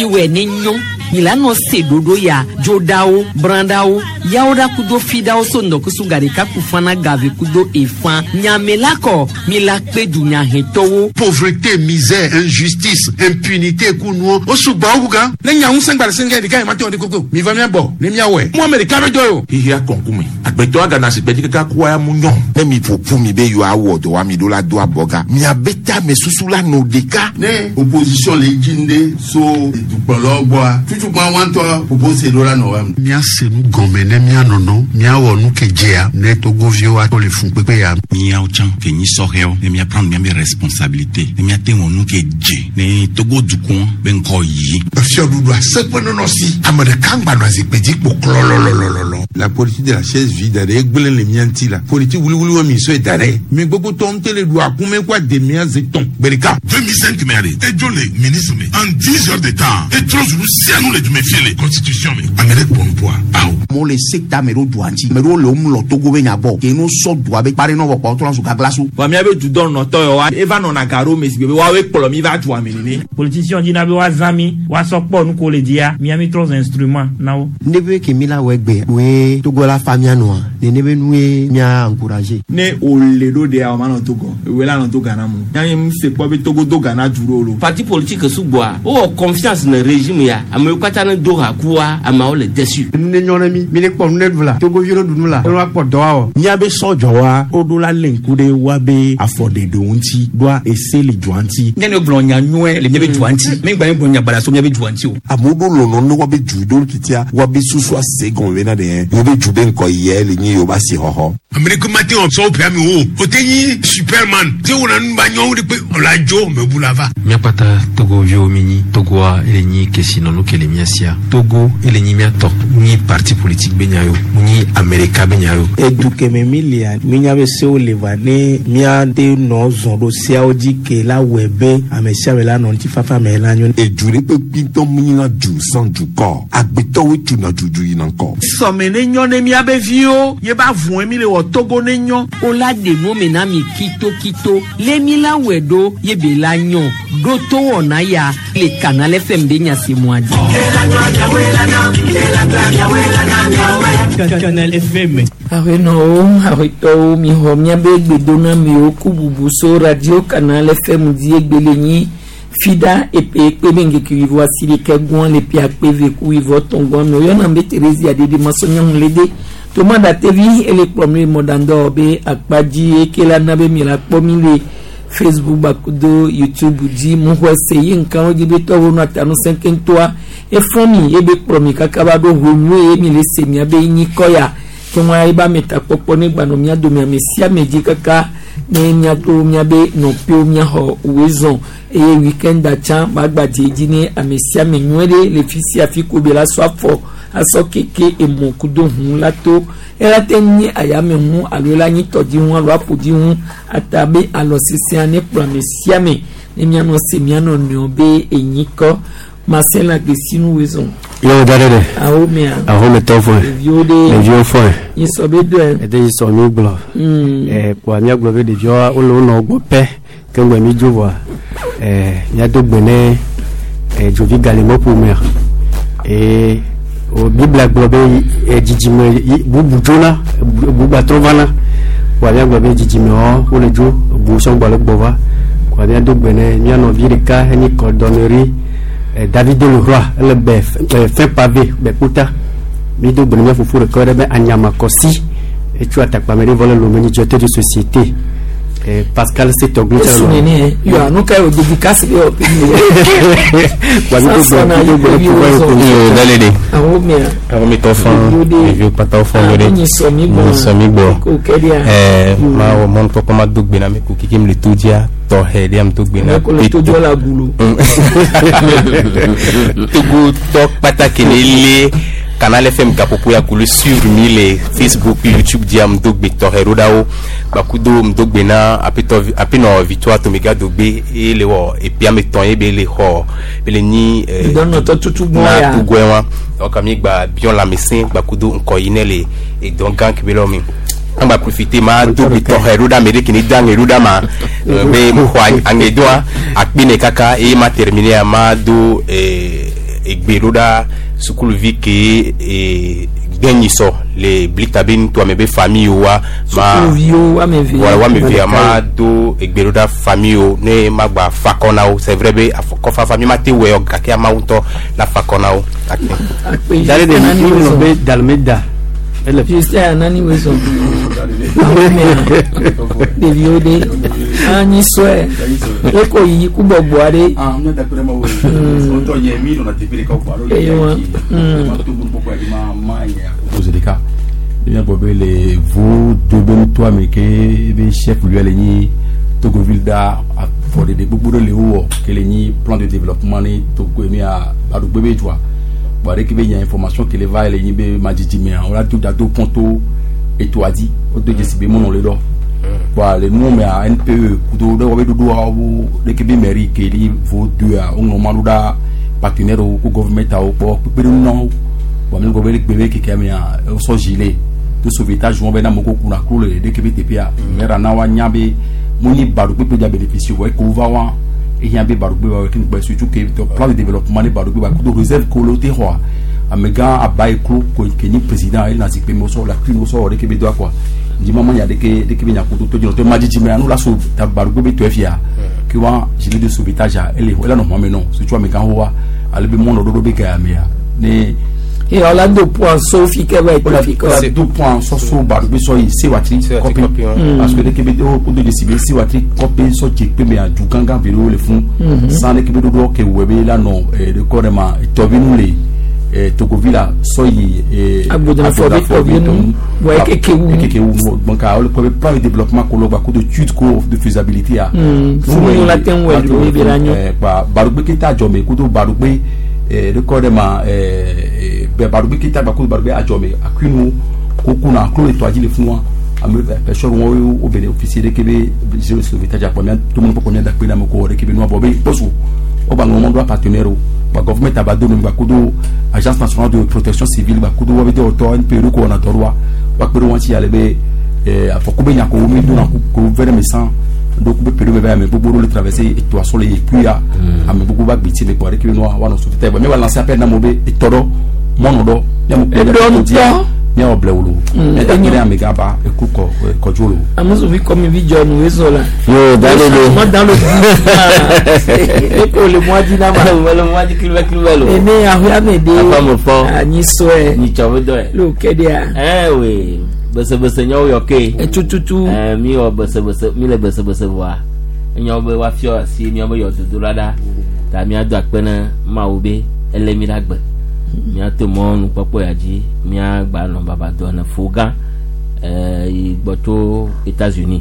Miwɔe ne nyɔ. Mi la nɔ se ɖoɖo ya dzoɖawo, brãɖawo, yawoɖa kudo fiɖawo so ŋdɔkusu gaɖeka ku fana gave kudo efã. Nyame la kɔ mi la kpe dunyahetɔwo. Pauvreté, misère, injustice, impunité ku nuwo wo sugbɔ wu gan. Ne nya ŋusẽ gba le sɛngɛ ɖeka yi ma te wɔ ɖe koko mi va mia bɔ ne mia wɔe. Mu ame ɖeka be dɔ ye o. Xixia kɔnkume agbetɔ agana si gbedzi kaka kua ya mu nyɔ. Ne mi ƒo ƒu mi be yewoawɔ dɔ wa mi ɖo la do abɔga miabe tame susu la nɔ ɖeka. Ne opposition le dzi ŋɖe so dukplɔlawo gbɔa tutukpa wantɔ propose ɖo la nɔ wa. Míase nu gɔme ne míanɔnɔ míawɔ nu ke dzea ne togoviwo ato le funkpekpe ya. Míawo tsã ke nyi sɔhɛwo ne míaprendre míabe responsabilité ne míate wɔ nu ke dze ne Togo dukɔ be ŋkɔ yi. Fiɔɖuɖu aseƒe nɔnɔ si ame ɖeka ŋgba nɔ zikpui dzi kpo klɔlɔlɔlɔlɔ. La politique de la chaise vide ɖe egblẽ le mía ŋuti la politique wuliwuli wa mi sɔe da ɖe mi gbogbo tɔ ŋutɔ le ɖu akume kó ademea ze tɔn gbe ɖeka. 2005 mɛ ale edzo le ministre me en 10 heures de temps etrɔ zulu sianu le dume fie le constitution me ame ɖe kpɔ nupoa awo. Amewo le sekta me ɖo dua ŋuti ame ɖewo le wo mlɔ Togo be nya gbɔ ke no sɔ dua be kpa ɖe nɔ vɔ kpa wotrɔ zu gaglasu. Vɔ míabe dudɔnɔtɔ yawoa eva nɔna ga ɖo me si gbe be woawoe kplɔ mi va dua me nene. Politicien dina be woazã mi woasɔ kpɔ nu ko le dzia mía mi trɔ zu instrument na wo. Ne be ke mi la wɔ egbe woe Togo la fa mía nɔa nene be nue mía encourager. Ne wòle ɖo ɖea o ma nɔ Togo ewoe la nɔ do Ghana mu míabe mu se kpɔ be Togo do Ghana du ɖo lo. Parti politique sugbɔa wowɔ confiance ne régime ya amewo katã ne do ha kua ameawo le déçu. Nu ne nyɔ ne mi mi ne kpɔ nu ne ɖu la togoviwo ne ɖu nu la ne woakpɔ dɔ awɔ. Míabe sɔdzɔwa woɖo la lé ŋku ɖe woabe afɔɖeɖewo ŋuti ɖoa ese le dua ŋuti. Ne ne gblɔ nya nyuie le míabe dua ŋuti mi gba gblɔ nya baɖa so míabe dua ŋuti o. Amewo ɖo lɔlɔ ne woabe du ɖo titia woabe susu ase gɔme bena ɖe yewobe du be ŋkɔ yia le nyi yewobe asixɔxɔ. Ame ɖeke mate wɔ sɔwo ƒea mi o o te nyi superman te wɔna nu ba nyɔwo ɖe kpe ɔla dzo mebu la va. Míakpata togoviwo mi nyi Togoa ele nyi kesinɔnu ke le mía sia Togo ele nyi míatɔ nyi parti politique be nya yo nyi Amerika be nya yo. Edu keme mi lia minya be sewo le va ne míate nɔ zɔn ɖo seawo dzi ke la wɔe be ame sia ame la nɔ ŋutifafa me la nyo. Edu ɖe kpekpe ŋutɔ mu nyina du sans dukɔ agbetɔwo tuna dudu yina ŋkɔ. Sɔme ne nyɔ ne míabe viwo ye ba vɔe mi le wɔ Togo ne nyɔ. O la ɖe nu me na mi kitokito le mi la wɔe ɖo ye be la nyɔ ɖo to wɔna ya le Canal FM be nya si mua dzi. Canal FM. Aƒenɔwo, aƒetɔwo, mixɔ míabe gbedonamiwo ku bubu so Radio Canal FM dzi egbe le nyi fida epe ekpe be ŋkeke wuieve asi ɖeka gbɔn le ƒe akpe eve ku wuieve etɔ̃ gbɔn me woyɔna be Theresia ɖeɖe masɔnyɔnu le de toma ɖatevi ele kplɔm le mɔɖaŋdɔ be akpa dzi eke la na be mi la kpɔ mi le Facebook bakudo YouTube dzi mu xɔ se yi nkawo dzi be tɔwo nɔ atanusẽ keŋtɔa efɔ mi ebe kplɔ mi kaka va ɖo ʋu ye mi le se mia be nyi kɔ ya ke ŋua ebe ametakpɔkpɔ ne gbanɔ mía dome ame sia ame dzi kaka ne míato míabe nɔƒewo míaxɔ woe zɔn eye weekend tsã magbadze dzi ne ame sia ame nyuie ɖe le fi sia fi ko be la sɔ afɔ asɔ keke emɔ kudo ʋu la to ela te nyi ayame ʋu alo la nyi tɔdziʋu alo aƒodziʋu ata be alɔ sesẽa ne kplɔ ame sia ame ne míanɔ se míanɔ nɔewo be enyi kɔ Marcel Agbesinu woe zɔn. Yóò da ɖe. Awo mea. Awo me tɔ fɔ. Ɖeviwo ɖe. Ɖeviwo fɔ. Yi sɔ be dɔe. Ɛdɛ yi sɔ mi gblɔ. Ɛɛ kpoa míagblɔ be ɖeviwoa wole wo nɔ gbɔ pɛ ke ŋgbe mi dzo vɔa ɛɛ míado gbe ne ɛɛ dzovi galimɔ ƒomea eye o Biblia gblɔ be ɛ dzidzime yi bubu dzona bubu gbatrɔ vana kpoa míagblɔ be dzidzimewo wole dzo bu sɔgbɔ le gbɔ va kpoa míado gbe ne mía nɔvi ɖeka enyi cordonnerie David Leroy ele be fin pavé be kpota mi do gbe ne mía fofo ɖeka ɖe be Anyamakɔsi etso atakpame ɖe vɔ le Lomé nyi directeur de société Pascal Setoglu. Esu nene yɔ anu ka yɔ dédicace bɛ yɔ Kpoa mi do gbe mi do gbe ne Yo dalede. Awo mea. Awo mi tɔ fɔn ɖeviwo kpata wo fɔn ɖe. Nyi sɔ mi gbɔ. Nyi sɔ mi gbɔ. Ko kɛ dia. Ɛɛ ma wɔ mɔnukpɔkpɔ ma do gbe na mi ko kiki mi le to dzia tɔxɛ ɖe am do gbe na. Ko le to dzɔ la gulo. Togo tɔ kpata ke ne le Canal FM gaƒoƒo ya ko le suivre mi le Facebook, YouTube dzia m do gbe tɔxɛ ɖo ɖa wo gbakudo m do gbe na aƒetɔ aƒenɔ Victoire Tomega Dogbe eye le wɔ eƒea me tɔn ye be le xɔ be le nyi Dɔnɔtɔ tutu gbɔn na ya. Togoe wa donc mi gba biɔ lãmesẽ gbakudo ŋkɔ yi ne le edɔ gã ke be lɔ mi an gba profiter ma do gbe tɔxɛ ɖo ɖa ame ɖe ke ne do aŋe ɖo ɖa ma be mu xɔ aŋedoa akpe ne kaka eye ma terminer ma do. egbe ɖo ɖa sukuluvi ke e gbɛnyisɔ le blita be nutoa me be famille wa ma Sukuluviwo woame eve. Voilà, woame evea ma do egbe ɖo ɖa famille wo ne ma gba fa akɔ na wo. C'est vrai be afɔkɔfafa mi ma te wɔe o gake amawo ŋutɔ la fa akɔ na wo. Akpe. Dale de mi ŋlɔ be dalme da. Ele Justin anani wezɔ. Ɖeviwo ɖe anyi sɔe. Eko yiyi ku gbɔgbɔ aɖe. Ewa. Ose ɖeka míagbɔ be le vo do be nutoa me ke be chef lieu le nyi Togoville da afɔɖeɖe gbogbo ɖe le wowɔ ke le nyi plan de développement ne Togo mia Baɖugbe be dzoa bon ɖeke be nya information ke le va le nyi be madzidzi mea wola do da do pont to etoa dzi wodo dzesi be mɔnɔ le ɖɔ bon le nuwo mea NPE kudo ɖe wɔbe ɖoɖoawo ɖeke be mairie ke li vo doa woŋlɔ ma ɖo ɖa partenaire wo ko gouvernement awo kpɔ kpekpeɖeŋu na wo bon mi gbɔ be gbe be keke mea wosɔ gilet de sauvetage wɔn bɛ na mɔgɔw kunna kulo le ɖeke be teƒea maire na wa nya be mo ni Baɖugbe dza bénéficier vɔ eko va wa ehiã be Baɖugbe wa ke ŋgbɛ surtout que plan de développement ne Baɖugbe wa kudo réserve ko le te xɔa amegã aba yi klo ko ke nyi président ele na zikpui me wosɔ la kui wosɔ wɔ ɖeke be doa quoi ndima ma nya ɖeke ɖeke be nya kudo to dzinɔ to madzidzi mea nu la so ta Baɖugbe be tɔe fia ke wa gilet de sauvetage a ele ele nɔ xɔme nɔ surtout amegã ho wa ale be mɔnɔ ɖoɖo be ga ya mea ne Et on a deux points sauf fi ke va être fi o la deux points sɔ so Baɖugbe sɔ yi Sewatri kɔpi parce que ɖeke be o do dzesi be Sewatri kɔpi sɔ dze kpe mea du gãgã vi ɖewo le fún san ɖeke be ɖoɖo ke wɔ be la nɔ ɖe kɔ ɖe ma tɔvinu le Togoville la sɔ yi Agbodnafɔ be tɔvinu wa ekeke wu. Ekeke wu donc o le kɔ be plan de développement ko lɔ gba ko de étude ko de faisabilité a. Funu la te ŋu ɛdu ebe la nyo. Gba Baɖugbe keta adzɔme kudo Baɖugbe ɖe kɔ ɖe ma bɛ Baɖugbe keta gba kudo Baɖugbe adzɔme akuinu ko kuna klo le tɔa dzi le fún wa ame pêcheur wo wo bénéficier ɖeke be gilet de sauvetage akpɔ mía to mɔ kpɔkpɔ mía da kpe na me ko ɖeke be nua bɔ be kpɔso wo gba ŋlɔ mɔ ɖo partenaire o gba gouvernement aba do nu gba kudo agence nationale de protection civile gba kudo wo be dɔwɔtɔ NPE ɖo ko wɔna dɔ ɖoa wa kpe ɖe wɔn ŋuti ale be afɔku be nya ko wo mi dona ko vɛrɛ me san ɖo ku be peɖo be va ame gbogbo ɖo le traverser etoa sɔ le yi kuya ame gbogbo va gbeti le kpɔ ɖeke be nua woanɔ sauvetage bɔn mi va lancer appel na amewo be etɔ ɖɔ mɔnɔ ɖɔ miamu kpe Eɖɔ ŋutɔ. Miawɔ blewu lo miada kpe ɖe amegã ba eku kɔ kɔdzo lo. Amusuvi kɔmi vi jɔ nu wezɔ la. Yo, dale de. Moi dans le eko le mois di na ma. Le mois di kilibɛ kilibɛ lo. Ene ahoya me de. Afa mo fɔ. Anyi sɔɛ. Nyitsɔ be dɔ ye. Lo kɛ de ya. Ɛ we besebese nyawo yɔ ke. Etututu. Ɛ mi wɔ besebese mi le besebese vɔa. Enyawo be woafiɔ asi miawo be yɔ dodo la ɖa. Ta miado akpe ne Mawu be ele mi ɖe agbe. Miato mɔnu kpɔkpɔ ya dzi miagba nɔ baba dɔ ne fo gã ɛɛ yi gbɔ tso États-Unis.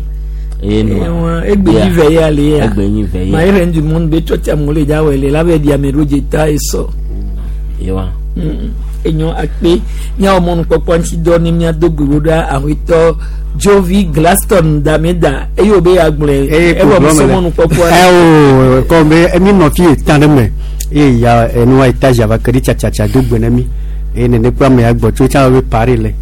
Eye nua. Ewa egbe nyi vɛ ye ale ya. Egbe nyi vɛ ye. Ma reine du monde be tsɔtsi amewo le dza wɔ le la be di ame ɖo dze ta esɔ. Yewa. Enyo akpe miawɔ mɔnukpɔkpɔ ŋuti dɔ ne miado gbe ɖo ɖa aƒetɔ Jovi Glaston Dameda eye wo be agblɔe ewɔ musɔ mɔnukpɔkpɔ. Ɛ o kɔn be mi nɔ fi tan ɖe me eye ya enua étage ava ke ɖi tsatsatsa do gbe na mi eye nene kple ame ya gbɔ tso tsã be pari le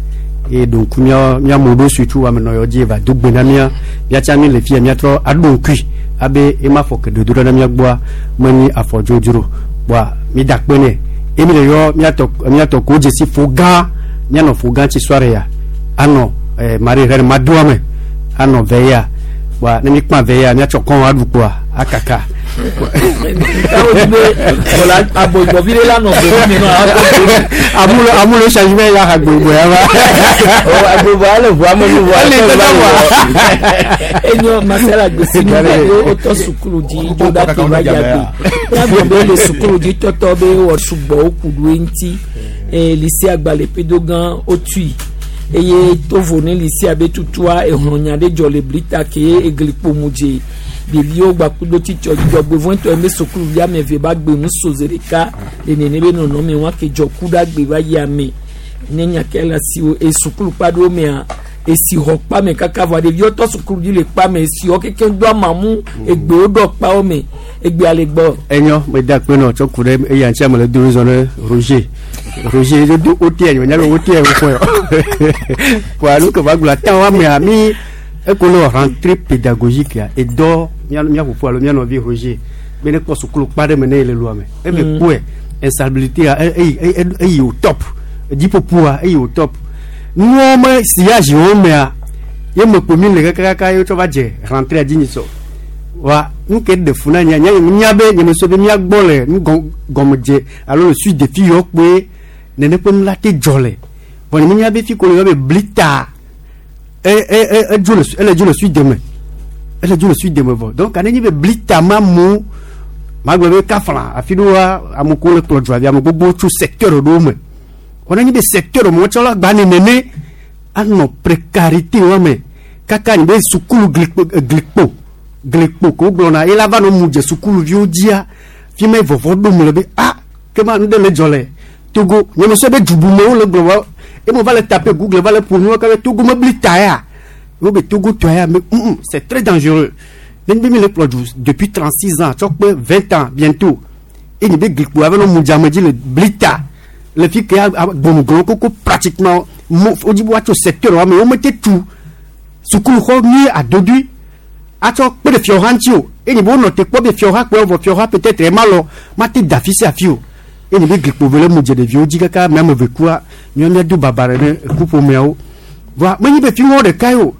eye ɖo ŋku mía míamewo ɖo sutu ame nɔ yɔ dzi va do gbe na mía míatsa mi le fia míatrɔ aɖo ŋkui abe ema fɔ ke dodo ɖe na mía gbɔa menyi afɔ dzodzro kpoa mi da kpe nɛ eye mi le yɔ míatɔ míatɔ ko dzesi fo gã míanɔ fo gã tsi soirée ya anɔ mari rɛ ma doa me anɔ vɛ ya kpoa ne mi kpã vɛ ya míatsɔ kɔn aɖu kpoa akaka. Káwọn ti bẹ bọ̀lá abogbọ̀bí lé lánàá gbòmí mi náà. Amulo amulo changement ya ha gbogbo ya va. Agbogbo ale ʋu amenu ʋu ale tɛ wa. Enyo masala gbèsè ní ìgbà yóò tọ́ sukulu dzi tó dá tó bá yàgbé yàgbé bẹ le sukulu dzi tɔtɔ bẹ wɔ sugbɔ ó kudu eŋuti lycée agbalẽ pedo gã ó tui eye tovo ne lycée abe tutua ehlɔnya ɖe dzɔ le blita ke eglikpo mu dze ɖeviwo gbakudo titsɔ dzidzɔgbevɔ̃tɔ eme sukuluvi ame eve ba gbe nu so zi ɖeka le nene be nɔnɔme wa ke dzɔ ku ɖe agbe va yi ame ne nya ke le asiwo e sukulu kpa ɖewo mea esi xɔ kpa me kaka vɔa ɖeviwo tɔ sukulu dzi le kpa me esiwo kekeŋ do amamu egbewo ɖɔ kpawo me egbea le gbɔ. Enyo me da kpe nɔ tsɔ ku ɖe eya ŋuti ame le do zɔ ne Roger Roger do o tiɛ nyɔ nyabe o tiɛ o fɔ yɔ kpoa nu ke va gblɔ ata wa mea mi eko le rentrée pédagogique ya edɔ mía mía fofo alo mía nɔvi Roger be ne kpɔ sukulu kpa ɖe me ne ye le lua me ebe kpɔe. Insalubrité eyi eyi au top. Dziƒoƒoa eyi au top. Nuwo me sillage wo mea ye me kpo mi le kakaka ye wotsɔ va dze rentrée dzi nyisɔ. Wa nu ke ɖe fu na nya nya nya be nye me so be mía gbɔ le nu gɔmedze alo le suite de fi yɔ kpoe nene ƒe nu la te dzɔ le. Vɔ nye menya be fi ko le yɔ be blita e e e edzo le ele dzo le suite de me. Ele dzo le suite de me vɔ. Donc ane nyi be blita ma mu magblɔ be kafla afi ɖewoa ame ko le kplɔ dua ame gbogbo tso secteur ɖewo me. Wɔna nyi be secteur me wotsɔ la gba ne nene anɔ précarité wa me kaka nyi be sukulu glikpo glikpo glikpo ko gblɔna ye la va nɔ mu dze sukuluviwo dzia fi me vɔvɔ ɖom le be ah kema nu ɖe le dzɔ le Togo nye me sɔ be dubumewo le gblɔ wa eme va le taper Google va le ƒo nu ka be Togo mebli ta ya wo be Togo tɔ ya mais c'est très dangereux. Ne be mi le kplɔ du depuis 36 ans tsɔ kpe 20 ans bientôt eye be glikpo ava nɔ mu dze ame dzi le bli ta le fi ke gbɔmugblɔ koko pratiquement mo wodzi be woatso secteur wa me wo mete tu sukuluxɔ nyui adodui atsɔ kpe ɖe fiɔha ŋuti o eye be wonɔ te kpɔ be fiɔha kpe vɔ fiɔha peut-être ema lɔ mate da afi sia afi o eye be glikpo ve le mu dze ɖeviwo dzi kaka ame ame eve kua míawo míado baba ɖe ne ekuƒomeawo vɔa menye be fi wɔn ɖeka ye o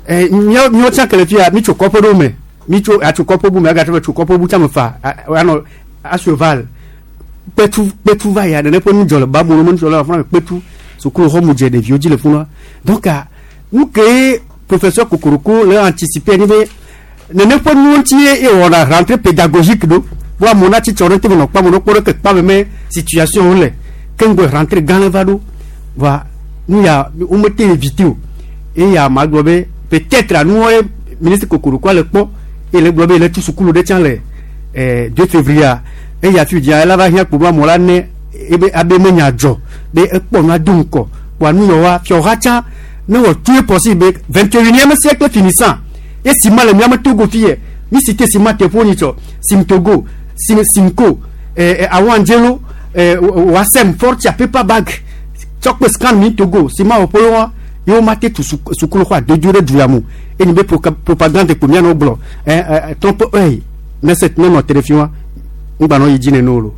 ɛ míawo míawo tsã ke le fia mi tso kɔƒe ɖewo me mi tso atso kɔƒe bu me agatrɔ be tso kɔƒe bu tsã me fa anɔ asueval kpetu kpetu va ya nene ƒe nu dzɔ le babu me nu dzɔ le afɔna kpetu sukulu xɔ mu dze ɖeviwo dzi le funa donc nu ke professeur Kokoroko le anticiper ni be nene ƒe nuwo ŋuti ye wɔna rentrée pédagogique ɖo bo amewo na tsitsɔ ɖe te me nɔ kpam ɖo kpɔ ɖe ke kpam me situation wo le ke ŋgɔe rentrée gã le va ɖo va nu ya womete éviter o eya ma gblɔ be peut-être anuwo ye ministre Kokoroko le kpɔ eye le gblɔ be le tu sukulu ɖe tsã le 2 février eya fi dzia ela va hiã kpo be amewo la ne ebe abe menya dzɔ be ekpɔ nua do ŋkɔ kpoa nu yɔ wa fiɔha tsã ne wɔ tout est possible be 21e siècle finissant ye ciment le miame Togo fi yɛ mi cité ciment teƒewo nyi tsɔ Simtogo Sim Simco Awandjelo Wasem Fortia paper bag tsɔ kpe scan mi Togo ciment wɔƒe wa ye wo ma te tu sukulu xɔ adodo ɖe du ya mo eye be propagande kpo mianɔ gblɔ trompe œil ne se ne nɔ te ɖe fi wa ŋgbanɔ yi dzi nene o lo.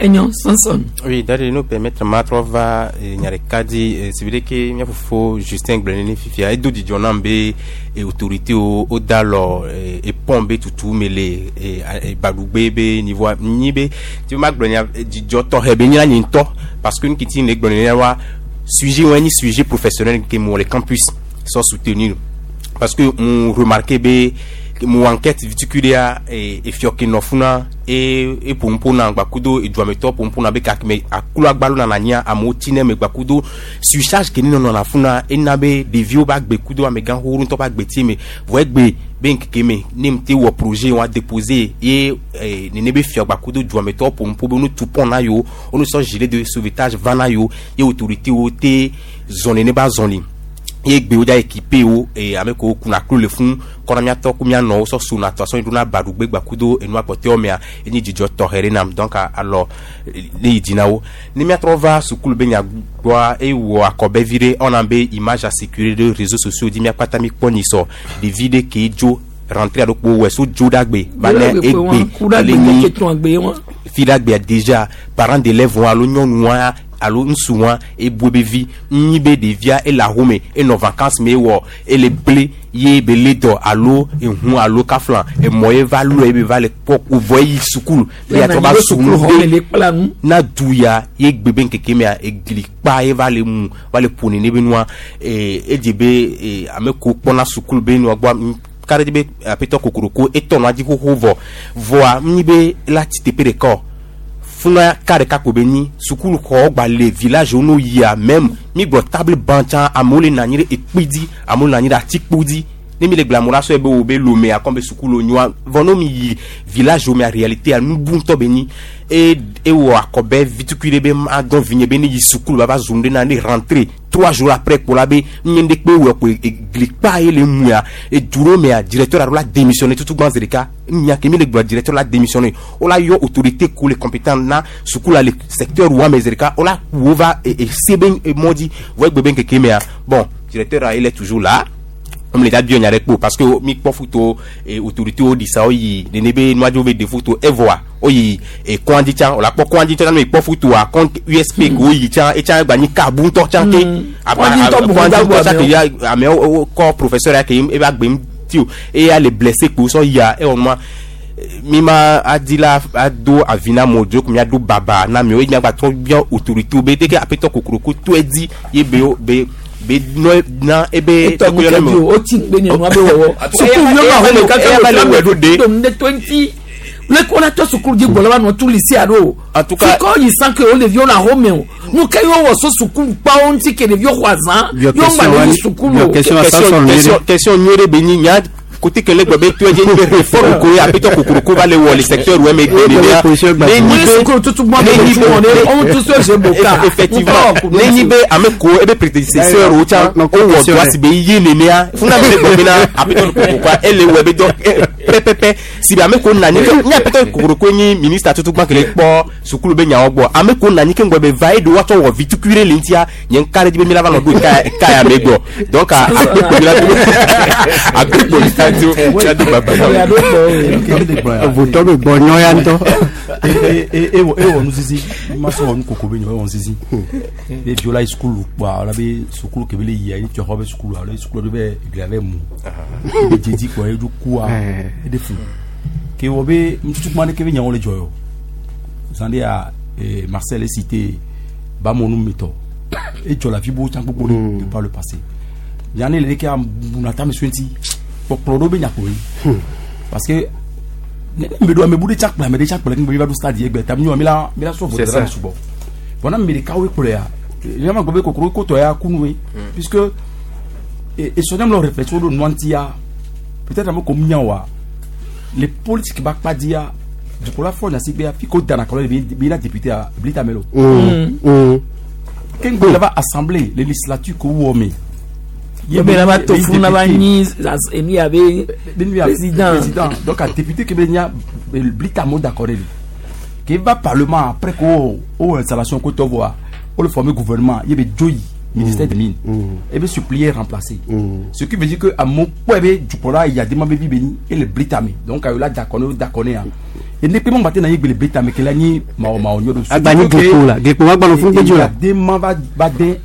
Enyo Sanson. Oui, d'ailleurs, nous permettre ma va nya ɖeka dzi si be ke mía fofo Justin gblɔ nene fifia edo dzidzɔ nam be autorité wo woda alɔ epɔn be tutu me le Baɖugbe be niveau nyi be ti ma gblɔ nya dzidzɔ tɔxɛ be nye la nye ŋutɔ parce que nu kiti le gblɔ nene wa sujet wa nyi sujet professionnel ke mo le campus sans soutenir parce que on remarqué be mo enquête viticulture efiɔ ke nɔ funa e eƒonuƒo na gbakudo eduametɔ ƒonuƒo na be gake aklo agbalo nana anyia amewo tsi ne me gbakudo surcharge ke ne nɔna funa ena be ɖeviwo ba gbe kudo amegã xoxo ŋutɔ ba gbe ti me vɔ egbe be ŋkeke me ne mu te wɔ projet wa déposer ye nene be fia gbakudo duametɔ ƒonuƒo be wonu tu pont na yewo wonu sɔ gilet de sauvetage va na yewo ye autorité wo te zɔ nene ba zɔli ye gbewo dza équipé wo ame kewo kuna klo le fún kɔna miatɔ ku mianɔwo sɔ sona tɔ sɔ yi ɖona baɖugbe gbakudo enua kpɔtɔewo mea enye dzidzɔ tɔxɛ ɖe nam donc alɔ ne yi dzi na wo ne miatrɔ va sukulu be nya gbɔa ewɔ akɔbɛ vi ɖe ɔna be image a circulé ɖe réseaux sociaux dzi miakpata mi kpɔ nyisɔ ɖevi ɖe ke dzo rentrée alo kpo wɔ so dzo ɖagbe va ne egbe ele nyi fi ɖagbea déjà parents d'élèves wa alo nyɔnua alo ŋutsu wa eboe be vi nyi be ɖevia ele ahome enɔ vacances me wɔ ele ble ye be le dɔ alo ehu alo kafla emɔ ye va lɔ ye be va le kpɔ vɔ yi sukulu ye atrɔ va sukulu be na du ya ye gbe be ŋkeke mea egli kpa ye va le mu va le ƒo nene be nua edze be ame ko kpɔna sukulu be nua gbɔ ka ɖe be aƒetɔ kokoroko etɔ nua dzi xoxo vɔ vɔa nyi be la tsi teƒe ɖeka o funa ka ɖeka ko be nyi sukulu xɔ gba le village wo no yia même mi gblɔ table banc tsã amewo le nɔ anyi ɖe ekpe dzi amewo le nɔ anyi ɖe atikpo dzi ne mi le gblɔ amewo la sɔe be wo be lome akɔm be sukulu nyoa vɔ ne mi yi village wo mea réalité a nubu ŋutɔ be nyi e ewɔ akɔbɛ vitukui ɖe be ma dɔn vi nye be ne yi sukulu va va zu nu ɖe na ne rentré 3 jours après kpo la be nye ɖe kpe wɔ ko egli kpa ye le muya edu ɖe mea directeur alo la démissionné tutu gbã zi ɖeka nya ke mi le gblɔ directeur la démissionné wo la yɔ autorité ko le compétent na sukulu la le secteur wa me zi ɖeka wo la wo va ese be mɔ dzi vɔ egbe be ŋkeke mea bon directeur il est toujours là. Comme le da bio nya ɖe kpo parce que mi kpɔ foto e autorité wo ɖi sa wo yi nene be nuadzo be de foto evoa wo yi e kɔndzi tsã o la kpɔ kɔndzi tsã ne kpɔ fotoa kɔn USP ko wo yi tsã etsã gba nyi kabu ŋutɔ tsã ke Kɔndzi ŋutɔ bu kɔndzi ŋutɔ tsã amewo. ke ya amewo wo kɔ professeur ya ke eva gbe ŋuti o eya le blessé kpo sɔ yia ewɔ nua mi ma adi la ado avi na mo dzo ko miado baba na mi o ye miagba trɔ biɔ autorité be deke aƒetɔ kokoroko to edi ye be be be nɔ na ebe etɔ nu kɛ bi o o ti gbe ni nua be wɔwɔ sukuviwo ma xɔ me kaka eya va le wɔ ɖo de. dom de 20 le ko la tɔ sukulu dzi gbɔ la va nɔ tu lycée alo En tout cas- fikɔ yi san ke o ɖeviwo le axɔme o nu ke yewo wɔ so sukulu kpawo ŋuti ke ɖeviwo xɔ azã Viɔ yewo question ŋgba le wa- yi sukulu viɔ o question wa sa sɔrɔ nyuie ɖe. question nyuie ɖe be nyi nya côté kele gblɔ be to edze nyi be réforme ko ye aƒetɔ kokoroko va le wɔ le secteur wɛ me gbe nenea ne nyi Wọ́n be sukulu tutu gbɔn ne bɛ nyi tu be wɔn ne ɔn tu so se bo ka effectivement ne nyi be ame ko ebe prédécesseur wo tsã Non, wowɔ question dɔa ɖe. si be ye nenea funa mi le gblɔ bena aƒetɔ kokorokoa ele wɔ ebe dɔ pɛpɛpɛ si be ame ko na anyi ke nye aƒetɔ kokoroko nyi ministre tutu gbã kele kpɔ sukulu be nyawo gbɔ ame ko na anyi ke ŋgɔ be va ye do woatsɔ wɔ vitukui ɖe le ŋutia nye ŋka ɖe dzi be mi la va nɔ ɖo ka ka ya me gbɔ donc agbekpo mi la do agbekpo mi la do mi la do baba na wo. Votɔ be gbɔ nyɔ ya ŋutɔ. ewɔ nu sisi ma sɔ wɔ nu koko be nyɔ ewɔ nu sisi be vio la yi sukulu kpɔa wala be sukulu ke be le yia ye tsɔxɔ be sukulu alo sukulu do be eglia be mu be dzedzi kpɔ ye dzo kua eɖe fu ke wɔ be nututukuma ɖeke be nyawo le dzɔ yɔ zan ɖe ya Marcel cité bamonu metɔ edzɔ le afi bo tsã gbogbo ɖe de par le passé yanni le ɖeke abunata me suenti kpɔkplɔ ɖo be nyakpo yi parce que ne me do ame bu ɖe tsa kplɔ ame ɖe tsa kplɔ ŋgbe va ɖo stade ye gbe ta mi la mi la sɔ C'est vote ça. la sugbɔ bon na me ɖeka woe kplɔ ya yama gbɔ be kokoro kotɔ ya kunu ye puisque esɔnyam le réflexion ɖo nua ŋuti ya peut-être ame ko minya wa les politiques ba kpa di ya dukɔla fɔ nyasigbe ya fi ko dana kɔlɔ de bi na député ya bilita melo ke ŋgbe la va assemblée les législature ko wɔ me Ye be la va to funu la va nyi enu ya be président président donc a député ke be nya blita mo d'accord li ke va parlement après ko o installation ko tɔ voa o le former gouvernement ye be joyi ministère des mines e be supplier remplacer ce qui veut dire que a mo kpɔ be dukɔla yadema be vi be nyi e le blita me donc a yola d'accord ne d'accord ne ya e ne pe mo gba te na ye gbe le blita me ke la nyi mawo mawo nyo do Agba nyi glikpo la glikpo wa gbanɔ fún gbedzi la. yadema va va den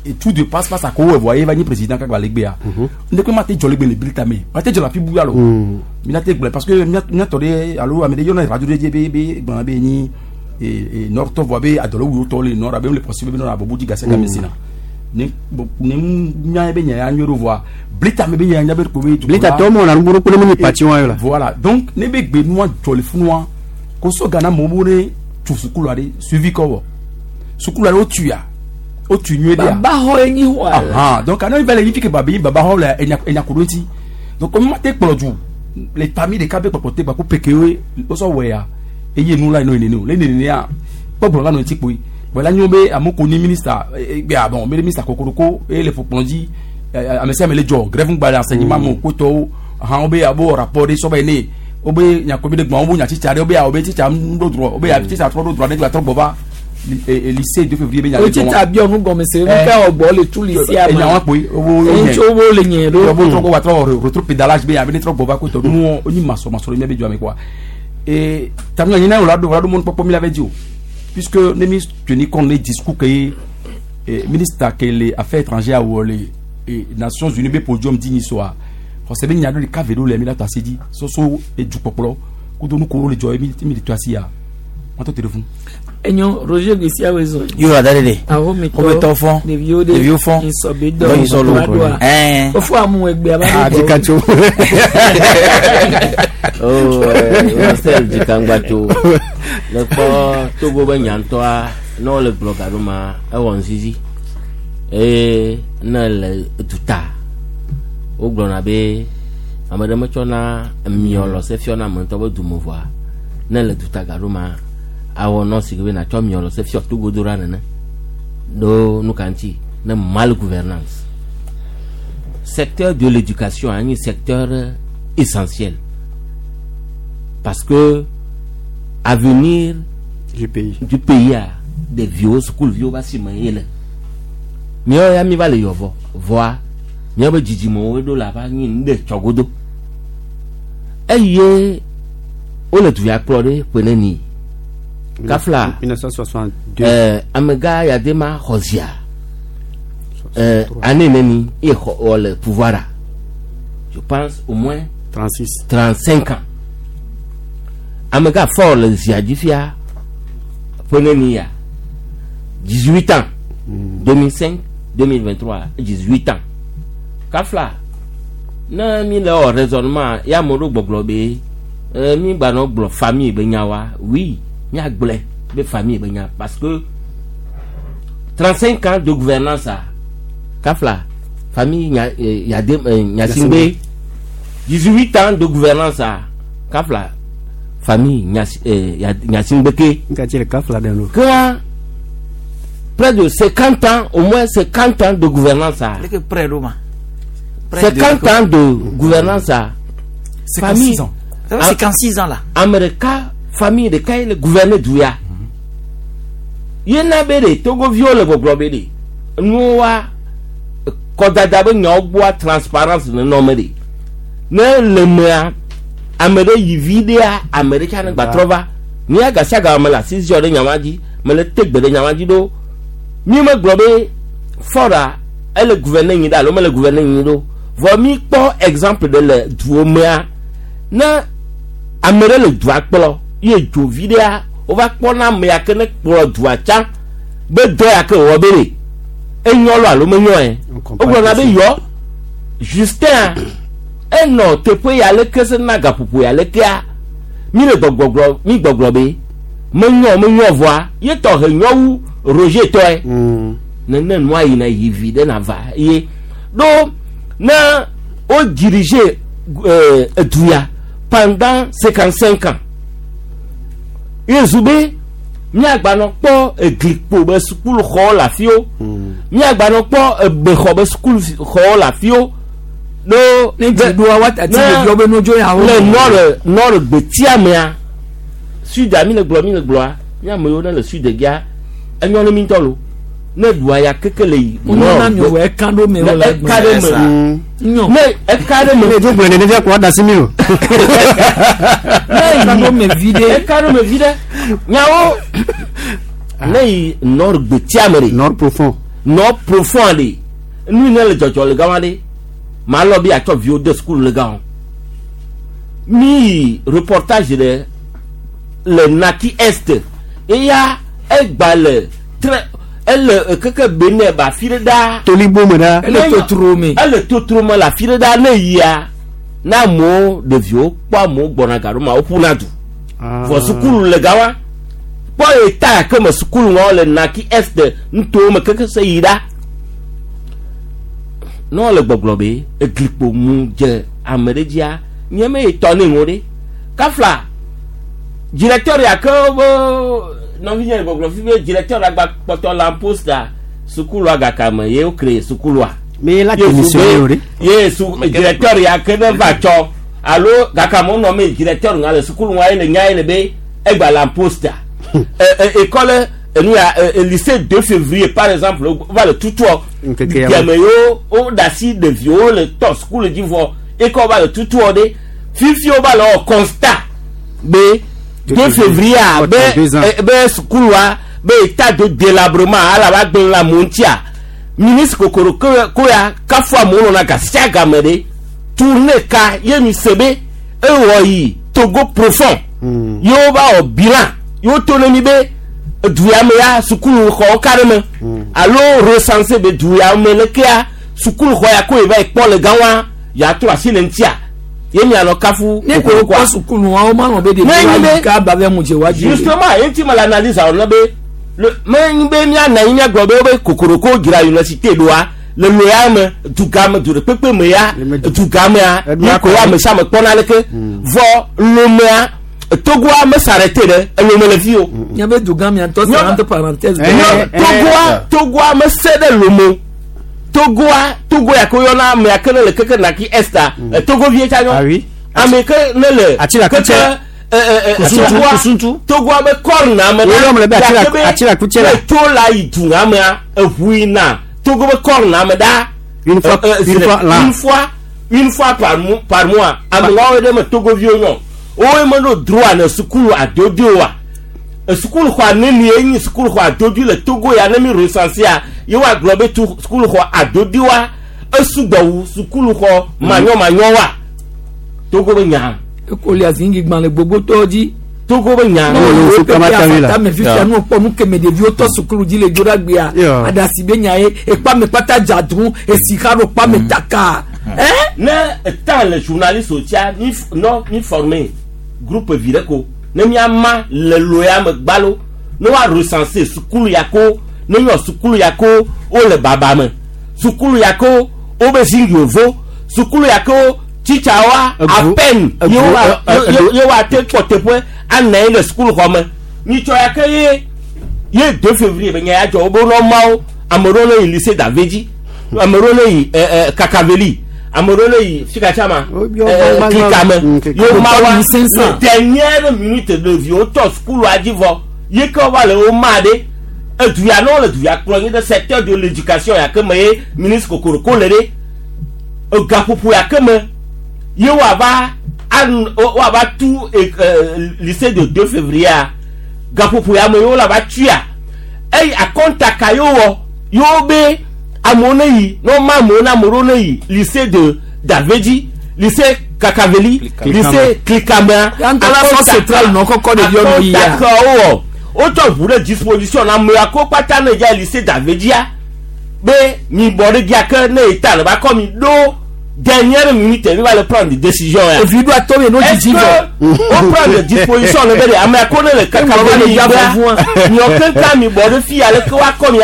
et tout de passe passe à ko voyez va ni président kagba legbe ya ne pe ma te jɔ legbe le blita me ma te jɔ la fi buya lo mina te gblɔ parce que mina tɔ de alo ame ɖe yɔna radio ɖe dzi be be gblɔna be nyi e nord tɔ vɔ be adɔlɔwu tɔ le nord abe le possible be nɔ abobo dzi gase game si na ne bon, ne nya be nya ya nyɔ ɖo vɔa blita me be nya ya be ko be Blita tɔ mɔ na nubu kple mi pati wa yɔ la. voilà donc ne be gbe nua jɔ le funua ko so gana mɔ bo ne tu sukulu aɖe suivi kɔ wɔ sukulu aɖe wotu ya wotu nyuie ɖe ya baba xɔ ye nyi xɔ ah donc ana va le yi fi ke babi baba xɔ le enya enya ko ɖo ŋuti donc ma te kplɔ du le famille ɖeka be kpɔkpɔ te gbako peke woe wosɔ wɔ ya eye nu la yi no nene o le nene ya kpɔgblɔ la nɔ ŋuti kpoe bɔn la nyo be ame ko ni ministre gbe a bon be ministre kokoroko eye le ƒokplɔ dzi ame sia ame le dzɔ grève ŋgba le enseignement me kotɔwo hã wobe abo rapport ɖe sɔba yi ne wobe nyakobi ɖe gbɔn wobe nya tsitsa ɖe wobe ya wobe tsitsa ŋu ɖo drɔ wobe ya tsitsa trɔ ɖo drɔ ɖe trɔ gbɔ va lycée 2 février be nya o ɖe tsi dzɔ ta biɔ nu gɔme se nu ka ɔgbɔ le tu lycée ama enya wa kpoe wo Eŋutsi wo le nye ɖo wo trɔ wa trɔ retro pédalage be abe ne trɔ gbɔ va kotɔ nuwo wonyi masɔmasɔ ɖe mía be dzɔa me quoi et tamina nyina wo la ɖo wo la ɖo mɔnukpɔkpɔ mi la ve dzi o puisque ne mi tenir compte ne discours ke ye ministre ke le affaires étrangères wɔ le Nations Unies be podium dzi nyi soa xɔse be nya ɖo ɖeka ve ɖo le mi la to asi dzi soso edukpɔkplɔ kudo nu kowo le dzɔ ye mi mi le to asi ya wɔn tɔ te ɖe fún. Enyo Roger Gbèsè awo zɔ. Yóò da de. Ahometɔ Ahometɔ fɔ. Ɖeviwo de. Ɖeviwo fɔ. Nsɔbe dɔ. Dɔ nsɔ lo. Adoa. Ɛɛ. Ofo amu egbe aba. Ah, Dzikatso. Oh, Marcel Dzikangbatso le kpɔ Togo be nyantɔa ne wole gblɔ ga ɖo ma ewɔ ŋzizi eye ne le duta wogblɔna be ame ɖe metsɔna miɔlɔ se fiɔna ame ŋutɔ be dume vɔa ne le duta ga ɖo ma awɔ nɔ si ke be natsɔ miɔlɔ se fiɔ Togo do ɖa nene ɖo nu ka ŋuti ne mal gouvernance secteur de l'éducation un secteur essentiel parce que avenir du pays a ɖeviwo sukuviwo va si me ye le miawo ya mi va le yɔvɔ vɔa Míabe dzidzimewo ɖo la va nyi nu ɖe tsɔgodo. Eye wole du ya kplɔ ɖe ƒe neni. Kafla. 1962. Amegã Yadema xɔ zia. Année neni ye xɔ wɔ le pouvoir a. Je pense au moins 36. 35 ans. Amegã Faure le zia dzi fia ƒe neni ya. 18 ans. 2005 2023 18 ans. Kafla ne mi le wɔ raisonnement ya ame ɖo gbɔgblɔ be mi gbanɔ gblɔ famille be nya wa oui miagblɔe be famille be nya parce que 35 ans de gouvernance a kafla famille nya yade Gnassingbé 18 ans de gouvernance a kafla famille Gnassingbé ke Nka le kafla ɖe lo. Kea près de 50 ans au moins 50 ans de gouvernance a Leke près ɖo ma. 50 ans de gouvernance a 56 ans. Ça fait 56 ans là. Ame ɖeka famille ɖeka ye le gouverner du ya yena be ɖe togoviwo le gbɔgblɔ be ɖe nuwo wa kɔdada be nyawo gbɔa transparence nenɔ me ɖe ne le mea ame ɖe yi vi ɖea ame ɖe tsã ne gba trɔ va mía gasiaga me le asi ziɔ ɖe nyama dzi me le te gbe ɖe nyama dzi ɖo mi me gblɔ be Faure ele gouverner nyi ɖe alo mele gouverner nyi ɖo vɔ mi kpɔ exemple ɖe le duwo mea ne ame ɖe le dua kplɔ ye dzo vi ɖea wova kpɔna ame ya ke ne kplɔ dua tsã be dɔ ya ke wòwɔ be ɖe enyɔ lo alo menyɔ yɛ wogblɔna be yɔ Justin enɔ teƒe ya leke se na gaƒoƒo ya lekea mi le gbɔgbɔgblɔ mi gbɔgblɔ be menyɔ menyɔ vɔa ye tɔ he nyɔ wu Roger tɔe nene nua yina yi vi ɖe na va ye ɖo ne wo dirige edu ya pendant 55 ans ye zu be míagbanɔ kpɔ eglikpo be sukulu xɔwo le afiwo míagbanɔ kpɔ ebexɔ be sukulu xɔwo le afiwo ɖo Ne dziɖoa woatati ɖeviwo be nodzo yawo. Le nord nord gbetia mea sud mi le gblɔ mi le gblɔa mi ame yiwo ne le sud gia enyɔ ne mi ŋutɔ lo ne ɖua ya keke le yi Wonyo na mi wɔ eka ɖo me ne wole eka ɖe me Nyɔ. ne eka ɖe me Ne dzo gblɔ nene fia ko ada si mi o. Ne Eka ɖo me vi ɖe. Eka ɖo me vi ɖe nyawo ne yi nord gbetia me ɖe Nord profond. Nord profond ɖe nu yi ne le dzɔdzɔ le gama ɖe maa lɔ be atsɔ viwo de sukulu le gama mi yi reportage ɖe le Naki Est eya egba le très ele keke Benin ba afi ɖe ɖaa Tolibo me ɖa. Ele totro me. Ele totro me le afi ɖe ɖaa ne yia ne amewo ɖeviwo kpɔ amewo gbɔna gaɖo ma woƒuna du vɔ sukulu le gama kpɔ eta ya ke me sukulu ŋɔ le Naki Est nutowo me keke se yi ɖa ne wole gbɔgblɔ be eglikpo mu dze ame ɖe dzia nye me yi tɔ ne ŋu ɖe kafla directeur ya ke be nɔvi nye le gbɔgblɔ fi be directeur la gba kpɔtɔ la poste a sukulua gaka me ye wo créé sukulua Mais la démissionné o ɖe. Ye su directeur ya ke ne va tsɔ alo gaka me wonɔ me directeur ŋa le sukulu ŋa ye le nya ye le be egba la poste a école enu ya lycée 2 février par exemple va le tutuɔ Ŋkeke ya me. deme yewo wo da asi ɖeviwo le tɔ sukulu dzi vɔ ekɔ va le tutuɔ ɖe fifi wo va le wɔ constat be 2 février a be 32 ans. Be sukulua be état de délabrement ala va gblẽ le amewo ŋutia ministre kokoro ko ya kafu amewo nɔna gasia game ɖe tournée ka ye mi se be ewɔ yi Togo profond ye wo va wɔ bilan ye wo to ne mi be du ya me ya sukulu xɔwo ka ɖe me alo recensé be du ya me lekea sukulu xɔ ya ko ye va yi kpɔ le gã wa ya trɔ asi le ŋutia ye mianɔ kafu Ne ko kpɔ sukulu wa wo ma nɔ be ɖeviwo Ne nyi ayi ka ba be mu dze wa dzi. Justement ye ŋuti me le analyse awɔ ne be le me nyi be mianɔ anyi miagblɔ be wobe kokoroko dzra université ɖoa le lo ya me duga me du ɖe kpekpe me ya duga mea mi ko ame sia ame kpɔna leke vɔ lomea Togoa me s'arrêté ɖe elome le fi o. Nye be duga mia tɔ c'est entre parenthèses. Togoa Togoa me se ɖe lome Togoa Togo ya ke woyɔna ame ya ke ne le keke Naki Est a Togovie tsa nyɔ ame ke ne le Atila keke Kutse. Kusuntu, Kusuntu. Togoa be kɔrna ame Woyɔ me le be ya Atila- ke be Atila Kutse la. ne to la yi du amea eʋu yina Togo be kɔrna ame ɖa Une fois- une fois l'an. Une fois par mois. Amewawo ɖe me Togoviwo nyɔ. Woe meɖo droit le sukulu adodo wa. Sukulu xɔ neni ye nyi sukulu xɔ adodo le Togo ya ne mi recensé ye woagblɔ be tu sukulu xɔ adodo wa esugbɔ wu sukulu xɔ manyɔmanyɔ wa. Togo be nya. Ekoli azingi gbã le gbogbo tɔwo dzi. Togo be nya. Ame fifia nu kpɔ nu keme ɖeviwo tɔ sukulu dzi le dzo ɖe agbea. Aɖasi be nya ye ekpa me kpata dza dru esi xa ɖo kpa me taka. Ne etan le journaliste o tia mi nɔ mi former groupe vi ɖe ko ne miama le lo ya me gbalo ne woa recenser sukulu ya ko ne nyɔ sukulu ya ko wole baba me sukulu ya ko wobe zingi vo sukulu ya ko tsitsawoa à peine ye woa te kpɔ teƒe anɔ anyi le sukulu xɔ me nyitsɔ ya ke ye 2 février be nya ya dzɔ wobe nɔ mawo ame ɖewo ne yi lycée d'Avedzi ame ɖewo ne yi Kakaveli ame ɖewo ne yi fikatsama Klikame ye mawa le dernière minute ɖeviwo tɔ sukulua dzi vɔ ye ke wova le wo ma ɖe edu ya ne wole du ya kplɔ nyi ɖe secteur de l'éducation ya ke me ye ministre Kokoroko le ɖe egaƒoƒo ya ke me ye woava tu lycée de 2 février gaƒoƒo ya me ye wole ava tuia eyi akɔnta ka ye wɔ yewo be amewo ne yi ne woma amewo na ame ɖewo ne yi lycée de Davedzi lycée Kakaveli lycée Klikamea akɔnta ka wowɔ wotsɔ ʋu ɖe disposition na amewo ko kpata ne dza lycée Davedzia be mi bɔ ɖe dzia ke ne eta le ba kɔ mi ɖo dernière minute mi va le prendre décision ya. Evi ɖo atɔ mi n'o dzidzi vɔ. O prendre disposition le be de ame ko ne le Kakaveli gba miɔ keŋka mi bɔ ɖe fi ale ke woakɔ mi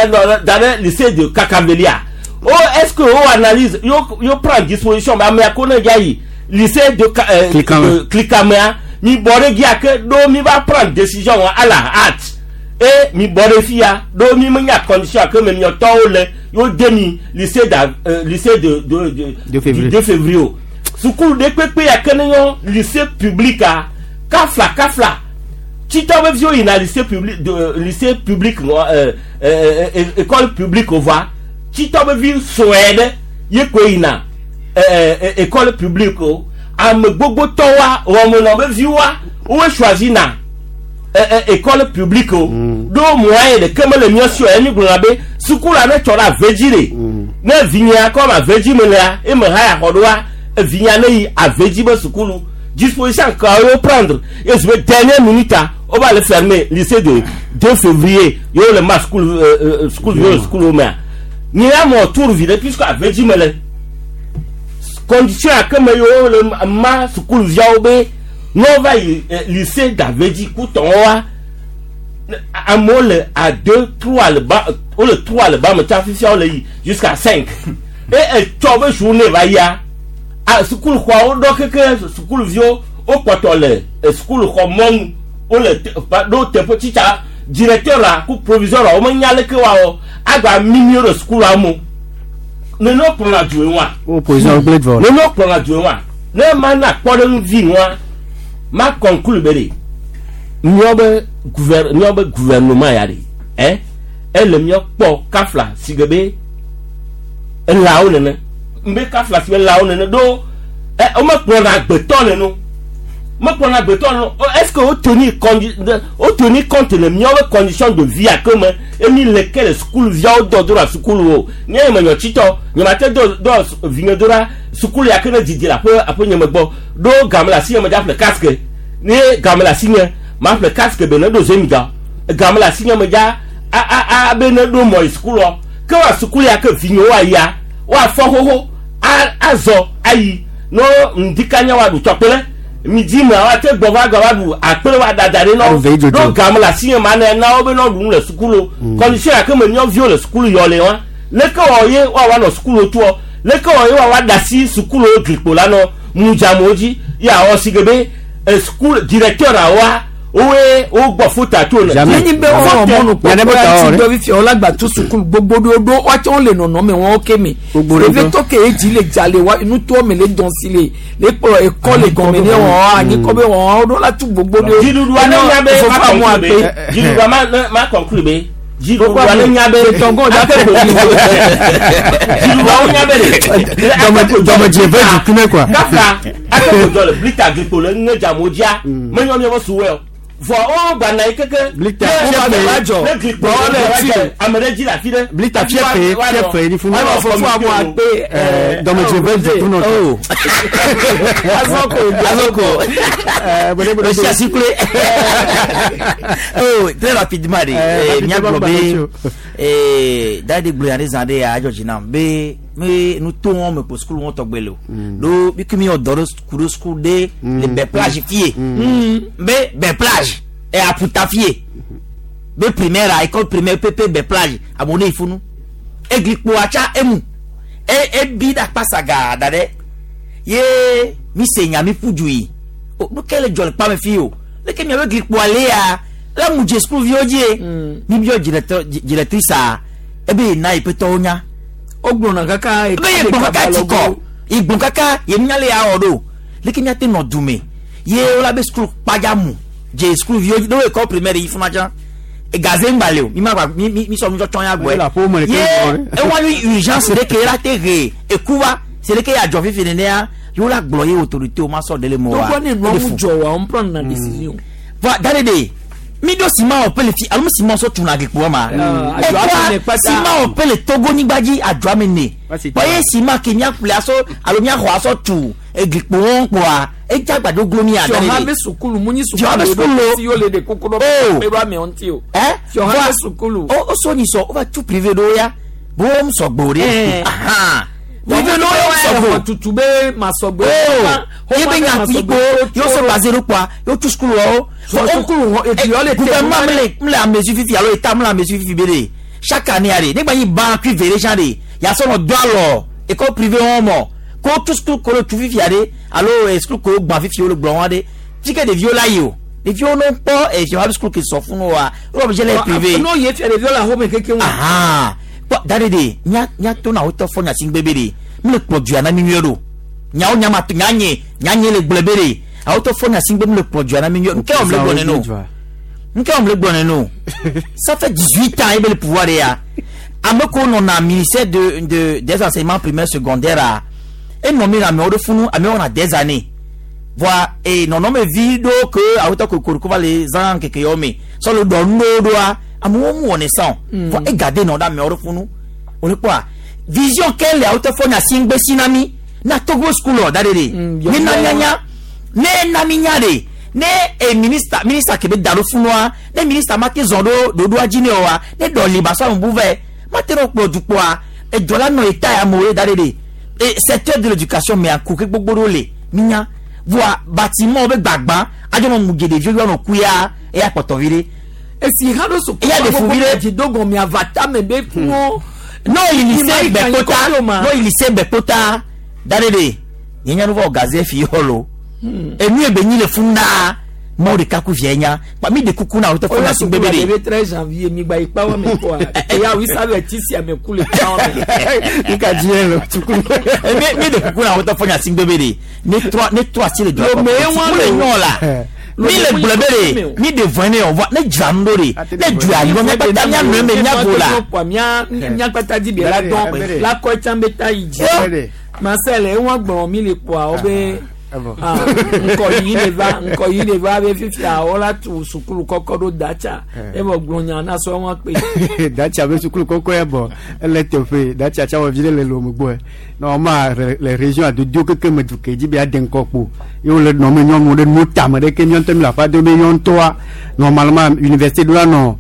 da ɖe lycée de Kakavelia o est-ce que o analyse yo prendre disposition be ame ko ne dza yi lycée de Klikamea mi bɔ ɖe dzia ke ɖo mi va prendre décision à la hâte et mi bɔ ɖe fia ɖo mi menya condition ke me miɔtɔwo le yo demi lycée lycée de 2 février sukulu ɖe kpekpe ya ke ne yɔ lycée public a kafla tsitɔ be viwo yina lycée public de lycée public école publique o va tsitɔ be vi sɔe ɖe ye koe yina école publique o ame gbogbo tɔwoa wɔmenɔ be viwoa woe choisi na école publique o ɖo moyen ɖeke mele mía si o emi gblɔna be sukula ne tsɔ ɖe Avedzi ɖe ne vinyia kɔm Avedzi me lea eme ha ya xɔ ɖoa vinyia ne yi Avedzi be sukulu disposition ka wo prendre et je dernière minute on va le fermer lycée de 2 février yo le ma school school yo school mea ni ya mo tour vide puisque Avedzi me le condition a ke me yo le ma sukulu viawo be n'o va yi lycée d'Avedzi kutɔn wa amewo le à 2 3 le ba o le 3 le ba me tsa fifia le yi jusqu'à 5 et etsɔ be journée va yia a sukulu xɔawo ɖɔ keke sukuluviwo wo kpɔtɔ le sukulu xɔ mɔnu wo le ɖo teƒe tsitsa directeur la ku proviseur la wo menya leke woawɔ agba mimi wo ɖe sukulua mo nene wo kplɔna du ye wa nene wo kplɔna du ye wa ne ma na kpɔɖeŋu vi nua ma conclure be de miawo be gouvernement ya de ele miawo kpɔ kafla si ge be elawo nene mbe kafla si be elawo nene ɖo wo mekplɔna agbetɔ nene mekplɔna agbetɔ nene est-ce que wo tenir compte le miawo be condition de vie ake me emi le ke le sukulu viawo dɔ do ɖa sukulu o nye me nyɔ tsitɔ nye ma te dɔ vinye do ɖa sukulu ya ke ne didi le aƒe nye me gbɔ ɖo game le asi nye me dza ƒle casque ne game le asi nye ma ƒle casque be ne ɖo zemiga game le asi nye me dza a be ne ɖo mɔ yi sukulua ke wa sukulu ya ke vinyewo ayia woafɔ xoxo azɔ ayi no ŋdikanya wa ɖu tɔkpele midi me wa te gbɔ va gba va ɖu akpele wa dada ɖe nɔ ɖo game le asi nye ma ne na wo be nɔ ɖu nu le sukulu condition ya ke me miɔ viwo le sukulu yɔ le wa leke wɔ ye woawa nɔ sukulu toɔ leke wɔ ye woawa da si sukulu glikpo la nɔ mudzamewo dzi ya wɔ si ke be sukulu directeur awoa woe wogbɔ fota to ne. Nenyi be wɔwɔ mɔnu kpɔkpɔ ya ti dɔ fifia wòle agba tu sukulu gbogbo ɖewo ɖo woatsɛ wole nɔnɔme wɔn ke me ɖevitɔ ke ye dzi le dza le wa nutoa me le dɔn si le le kplɔ ekɔ le gɔme ne wɔn anyi kɔ be wɔn ɖo la tu gbogbo ɖewo. Dziɖuɖua ne nya be ma conclure be dziɖuɖua ma conclure be Dziɖuɖua ne nya be dziɖuɖuawo nya be le. Dɔmedze ve dzi kume quoi. Kaka ake kodzɔ le blita glikpo le ŋe dzamo dzia menyɔ miaƒe suwɛ o. Vɔ wo gbana yi keke. Blita ne fiafe. ne glikpo le dze ame ɖe dzi le afi ɖe. Blita fiafe fiafe ni funu. Dɔmedze ve dzi kunɔ. Oh. Azɔko. Azɔko. Esi kule. Oh, très rapidement de. Míagblɔ be dadi gblɔ ya ɖe zã ɖe ya adzɔ dzi nam be me nuto wɔn me ko sukulu wɔn tɔgbe le o. Ɖo mi kumi wɔ dɔ ɖe ku ɖe sukulu ɖe le bɛ plage fie. Be bɛ plage ɛ aputa fie. Be primaire a école primaire pepe bɛ plage amewo ne yi funu. Eglikpo atsa emu. E ebi ɖe akpasa gaa da ɖe. Ye mi se nya mi ƒu du yi. O nu ke le dzɔ le kpame fi o. Leke miabe glikpoa le ya la mu dze sukuviwo dzie. Mi biɔ directeur directrice a ebe yina yi ƒetɔwo nya. Wogblɔna kaka ebe ye gbɔn kaka ti kɔ ye gbɔn kaka ye nunya le ya wɔ ɖo. Leke miate nɔ dume ye wola be sukulu kpadza mu dze sukuviwo dzi ɖo école primaire yi funa tsã. Gaze ŋgba le o mi ma gba mi mi mi sɔ nutsɔtsɔ ya gbɔe. Ye ewa nyi urgence ɖe ke la te he ekuva c'est le ke ya dzɔ fifi nenea ye wola gblɔ ye autorité o ma sɔ ɖe le mɔ wa. Togbɔ ne nua ŋu dzɔ wa, on prend na décision. Va da ɖe ɖe mi ɖo ciment wɔ pe le fi alo mi ciment sɔ tuna glikpoa ma. Adzɔ ame ne kpata. Ciment wɔ pe le Togo nyigba dzi adzɔ ame ne. Kpɔ ye ciment ke miaƒle asɔ alo miaxɔ asɔ tu eglikpo wɔn kpoa edze agbado glo mi ada Fiɔha ɖe be ɖe. sukulu mu nyi Fiɔha be sukulu sukulu. si yo le ɖe kuku ɖo Oh. pe ɖo amewo ŋuti o. Ɛ Fiɔha be sukulu. O o so nyi sɔ o va tu privé ɖewo ya bo wo sɔgbe o ɖe. Ahan. Privé ɖewo ya wo sɔgbe o. Tutu be masɔgbe. Oh, ye be nya kpikpo ye wo sɔ basé ɖo kpoa ye wo tu sukulu wɔwo. Sukulu wɔ eti yɔ le te. Gouvernement mle mle amesi fifi alo état mle amesi fifi be de chaque année a de ne gba nyi ban kui ve ɖe tsã de yasɔ nɔ do alɔ école privée wɔn mɔ ko tu sukulu ko le tu fifia de alo sukulu ko gbã fifi wo le gblɔ wɔn de fi ke ɖeviwo la yi o ɖeviwo no kpɔ efiɔ habi sukulu ke sɔ funu wa wo obligé le privé. N'o ye fia ɖeviwo le axome keke ŋu. Ahan kpɔ da ɖe de nya nya to na wotɔ fɔ nyasi ŋgbe be de mi le kplɔ dua na mi nyuie ɖo nyawo nyama to nyanye nyanye le gblɔ be de awotɔ fɔ nyasi ŋgbe mi le kplɔ dua na mi nyuie nke wɔm le gblɔ nene o nke wɔm le gblɔ nene o ça fait 18 ans ebe le pouvoir de ya ame ko nɔna ministère de de des enseignements primaires secondaires a enɔ mi le amewo ɖe funu amewo wɔna des années voa e nɔnɔme vi ɖo ke awotɔ kokoriko va le zã keke yɔ me sɔ le dɔ nu ɖewo ɖoa amewo mu wɔnɛ sa o voa egade nɔ ɖe amewo ɖe funu o le kpɔa vision ke le awotɔ fɔ nya si ŋgbe si na mi na Togo school da ɖe ɖe ne na nyanya ne na mi nya ɖe ne e ministre ministre ke be da ɖo funua ne ministre ma te zɔn ɖo ɖoɖoa dzi ne oa ne dɔ li ba sɔ amebu vɛ ma te ɖo kplɔ dukpɔa edɔ la nɔ eta ya amewo ye da ɖe ɖe e secteur de l'éducation mea ku ke gbogbo ɖewo le minya voa bâtiment be gbagba adzɔ nɔ mu dze ɖeviwo yɔ nɔ ku ya eya kpɔtɔ vi ɖe. Esi ha ɖo sukulu. Eya ɖe fu vi ɖe. Dzi do gɔme avata me be funuwo. n'o yi lycée Gbɛkpota n'o yi lycée Gbɛkpota da ɖe ɖe nye nya nu va wɔ gaze fi yɔ lo enu ye be nyi le funu naa mɔwo ɖeka ku via nya kpa mi de kuku na wotɔ fɔ na sugbe be de. Oya sukulu 13 janvier mi gba ikpa wa me kɔa. Eya wi sa bɛ ti si ame ku le kpa wa me. Nka diɛ le sukulu. Mi mi de kuku na wotɔ fɔ nya sugbe be de ne trɔ ne trɔ asi le dua Lome kɔ wa mu le lo. nyɔ la mi le gblɔ be de mi de vɔn ne o vɔ ne dzra nu ɖo de ne dzra yɔ mi kpata mia nɔe me mia go la. Mia mia kpata di bi la dɔn la kɔ etsã be ta yi dzi. Marcel ewa gblɔ mi le kpɔa wo be ŋkɔ yi le va ŋkɔ yi le va be fifia wola tu sukulu kɔkɔ ɖo datsa evɔ gblɔ nya na sɔ wɔn kpe. Datsa be sukulu kɔkɔ ya bɔ ele teƒe datsa tsa wɔ vi ɖe le lome gbɔe normalement les régions adodo keke me du ke dzi be ade ŋkɔ kpo ye wole nɔ me nyɔnuwo ɖe nu tame ɖe ke míawo ŋutɔ mi le aƒa do be míawo ŋutɔa normalement université ɖo la nɔ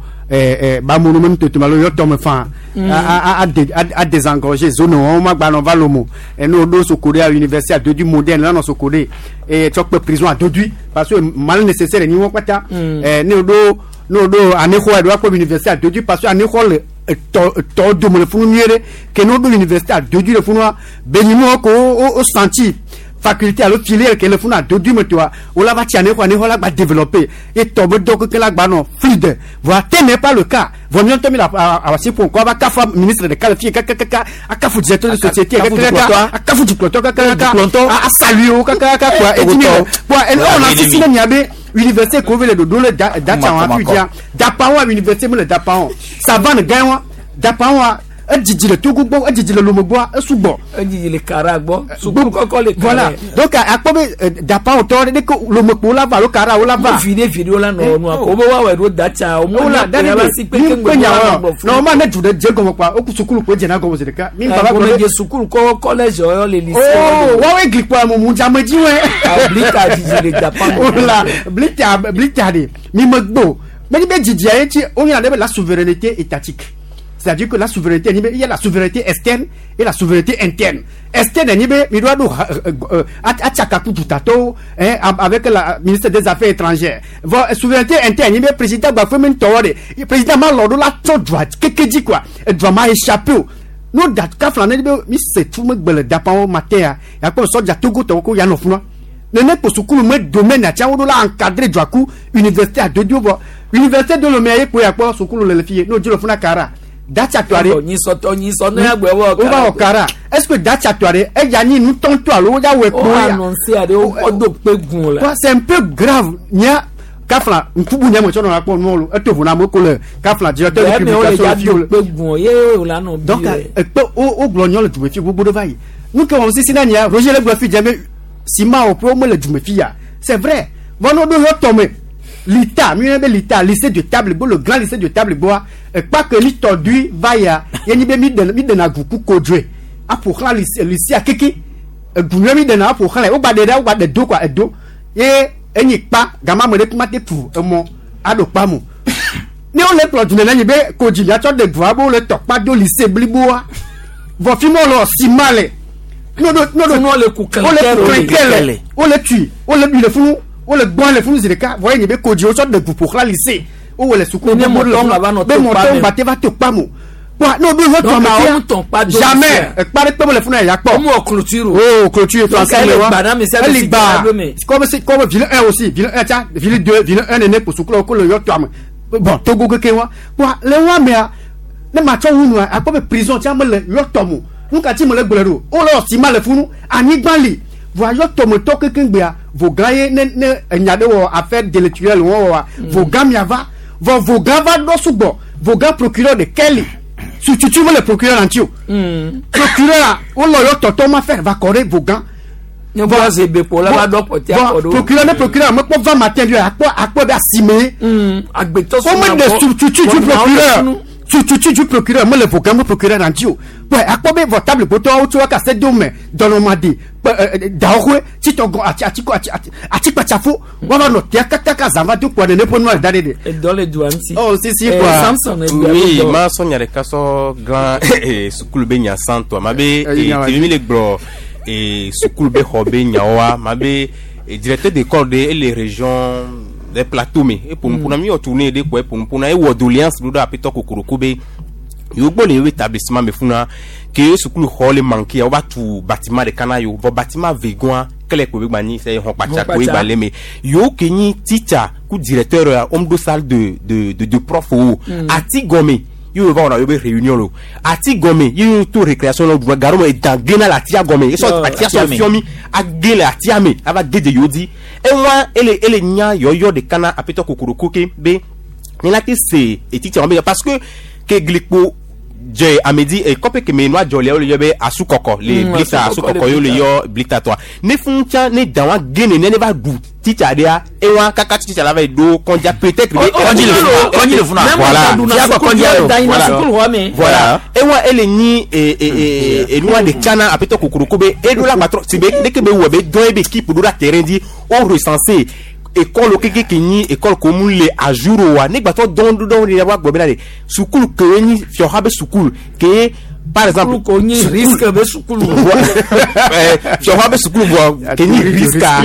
bamono me nutoto alo yɔ tɔme faa a désengorger zone wɔn ma gba nɔ va lomo ene wo ɖo soko ɖe université adodui moderne la nɔ soko ɖe eye tsɔ kpe prison adodui parce que mal nécessaire ni wɔn kpata ne wo ɖo ne wo ɖo anexɔ ɖo akpɔ université adodui parce que anexɔ le etɔ etɔ dome le funu nyuie ɖe ke ne wo ɖo université adodui le funua benyinuwo ko wo senti faculté alo filière ke le funu adodui me toa wo la va tsi anexɔ anexɔ la gba développer et tɔ be dɔ keke la gba nɔ fluide voa tel n'est pas le cas vɔ míawo ŋutɔ mi le asi ƒo ŋkɔ ava kafu ministre ɖeka le fie kakakaka akafu directeur de société kakakaka akafu dukplɔtɔ kakakaka a saluer wo kakakaka kpoa eti mi le kpoa ene ɔna sisi ne mia be Université ko le ɖoɖo le da datsa wa fi dzia. Dapa wa université me le dapa wa. Savane gã wa. Dapa wa edzidzi le Togo gbɔ, edzidzi le Lome gbɔa, esugbɔ. Edzidzi le Kara gbɔ. Sukulu kɔkɔ le Kara. Voilà. Donc akpɔ be dapa wo tɔ ɖe ke Lome kpo la va alo Kara wo la va. Vi ɖe vi ɖewo la nɔ nua ko wobe woawɔe ɖo datsa o. Wo la da ɖe si kpe mi ke kpe nya wa. Na wo ma ne du ɖe dze gɔme kpa, woku sukulu kpo dzena gɔme zi ɖeka. Mi baba gblɔ Gɔme be dze sukulu kɔ collège yɔ le lycée. Oh, woawoe gli kpɔ mumu dzame dzi wɔe. Ah, blika dzidzi le dapa me. Wala blita blita de mi megbe o. Menye be dzidzia ye tsi woyɔna ɖe be la souveraineté étatique. C'est-à-dire que la souveraineté nyi be il y a la souveraineté externe et la souveraineté interne. Externe nyi be mi ɖo aɖo ha- atsaka ku dutatɔwo hein, avec la ministre des affaires étrangères. Vɔ souveraineté interne nyi be président gba fue mi ŋutɔwɔ de président ma lɔ ɖo la tsɔ dua keke dzi quoi. Edua ma échappé o. No da kafla ne be mi se tu megbe le dapawo matin ya yakpɔ sɔdza Togo tɔwo ko yanɔ funua. Nene kpo sukulu me domaine atsia wo ɖo la encadré dua ku université adodo vɔ université do lome ye kpo yakpɔ sukulu le le fi ye n'o dzi le funa kara datsa tɔ aɖe. Nyisɔtɔ nyisɔ ne agbe wɔ wo va wɔ kara est ce que datsa tɔ aɖe eya nyi nutɔntɔ alo wo ya wɔ O kpo ya. annoncé aɖe wo kɔ do kpe gun la. Quoi, c'est un peu grave nya kafla nkubu nya me tsɔ nɔ akpɔ nuwo lo eto vo na amewo ko le kafla directeur de Bɛɛ me wo le publication dza le fi do wo le. kpe gun ye wo la nɔ bi Donc yɛ. ekpe wo wogblɔ nyɔ le dumefi gbogbo ɖe va yi nu ke wɔm sisi na nya Roger le gblɔ fi dze be sima wo ƒe womele dumefi ya c'est vrai vɔ ne woɖo yɔ tɔme lita mi yɔna be lita lycée de table gbo le grand lycée de table gboa ekpa ke mi tɔ dui va ya ye nyi be mi ɖe mi ɖena gu ku kodzoe aƒo xlã lycée lycée keke egu nyuie mi ɖena aƒo xlã wogba ɖe ɖa wogba ɖe do quoi edo ye enyi kpa gama ame ɖe kuma te pu emɔ aɖo kpa mo ne wole kplɔ du nene nyi be kodzi miatsɔ ɖe gua be wole tɔkpa do lycée bliboa vɔ fi ma wole sima le n'o do n'o do wole ku wole ku kɛlɛ le. wole tui wole bi le funu wole gbɔn le funu zi ɖeka vɔ ye nyi be kodzi wotsɔ ɖe gu ƒo xlã lycée wowɔ le suku Ne gbogbo le mɔtɔ funu. ŋgba va nɔ be to kpa mɔtɔ me. ŋgba te va to kpa mo kpɔa n'o do yɔ Donc, tɔ awo ma ŋutɔ kpa do fia jamais lycée. ekpa ɖe kpe mele funu ya kpɔ Wo mu wɔ clôture o. oh clôture Donc, français ele me wa gba na ame sia ame ele si gba dzra ɖo me. comme c'est comme ville 1 aussi ville 1 tsa ville 2 ville 1 nene kpo sukulu ko le yɔ tɔ ame bon Togo keke wa kpɔa le wa mea ne ma tsɔ wu nua akpɔ be prison tsa mele yɔ tɔ mo nu ka ti mele gblɔe ɖo wole wɔ sima le funu anyigba li voa yɔ tɔmetɔ keke gbea vogã ye ne ne enya ɖe wɔ affaire délictuelle wɔ wɔa vogã mia va vɔ vogã va ɖɔ sugbɔ vogã procureur de kɛli sututu mele procureur la ŋuti o procureur la wolɔ yɔ tɔtɔ ma fɛ va kɔ ɖe vogã. Ne bɔ ze be kpo la va ɖɔ kpɔtɛ akɔ ɖo. procureur ne procureur mekpɔ va matin bi akpɔ akpɔ be asime. Agbetɔ wome ɖe substitut du procureur substitut du procureur mele vogã me procureur la ŋuti o bɔn akpɔ be vɔ table gbotɔwo tso aka se do me dɔnɔmadi kpe ɛ ɛ dawoxoe tsitɔgɔ ati atiko ati ati atikpatsafo wɔva nɔ tia kakaka zã va do kpɔ nene ƒe nua le da ɖe de. Edɔ le dua ŋuti. Oh si si Eh, quoi. Samson egbea Oui, be dɔ. ma sɔ nya ɖeka sɔ glã sukulu be nya sãtɔa ma be Eh, nya wa tèmi mi le gblɔ sukulu be xɔ be nyawoa ma be directeur d'école ɖe ele région des plateaux me eƒonuƒo na mi wɔ tournée ɖe kɔ eƒonuƒo na ewɔ doléance ɖo ɖe aƒetɔ kokoroko be yewo gbɔ le yewo établissement me funa ke sukulu xɔ le manqué wova tu bâtiment ɖeka na yewo vɔ bâtiment vegoa kele kpo be gba nyi sɛ xɔ kpatsa kpo Xɔ gba le me yewo ke nyi teacher ku directeur ya wo ɖo salle de prof wo ati gɔme yewo va wɔna yewo be réunion lo ati gɔme yewo to récréation la ɖuna garo me edan gena le atia gɔme esɔ Yo, atia atia sɔ me. fiɔ mi age le atia me ava ge de yewo di ewa ele ele nya yɔyɔ ɖeka na aƒetɔ kokoroko ke be ne la te se etitsa wɔn be parce que ke glikpo dze amedi kɔpe keme nua dzɔ le wo le yɔ be asukɔkɔ le blita asukɔkɔ asukɔkɔ le ye wo le blita. yɔ blita tɔa ne fún tsa ne dan wa ge ne ne va ɖu titsa ɖea ewa kaka titsa la va yi ɖo kɔndza peut-être be Kɔndzi le funa, kɔndzi le funa. Voilà. Fia kɔ kɔndzi le. Da yina Voilà. sukulu xɔ me. Voilà. Ewa ele nyi enua de tsana aƒetɔ kokoroko be eɖo la gbatrɔ si be leke be wɔ be dɔn ebe équipe ɖo la terrain dzi wo recensé école keke ke nyi école ko mu le à jour o wa ne gbatɔ dɔn dɔn de wa gbɔ bena de sukulu ke nyi fiɔha be sukulu ke par exemple Sukulu ko nyi risque be sukulu. fiɔha be sukulu vɔ ke nyi risque a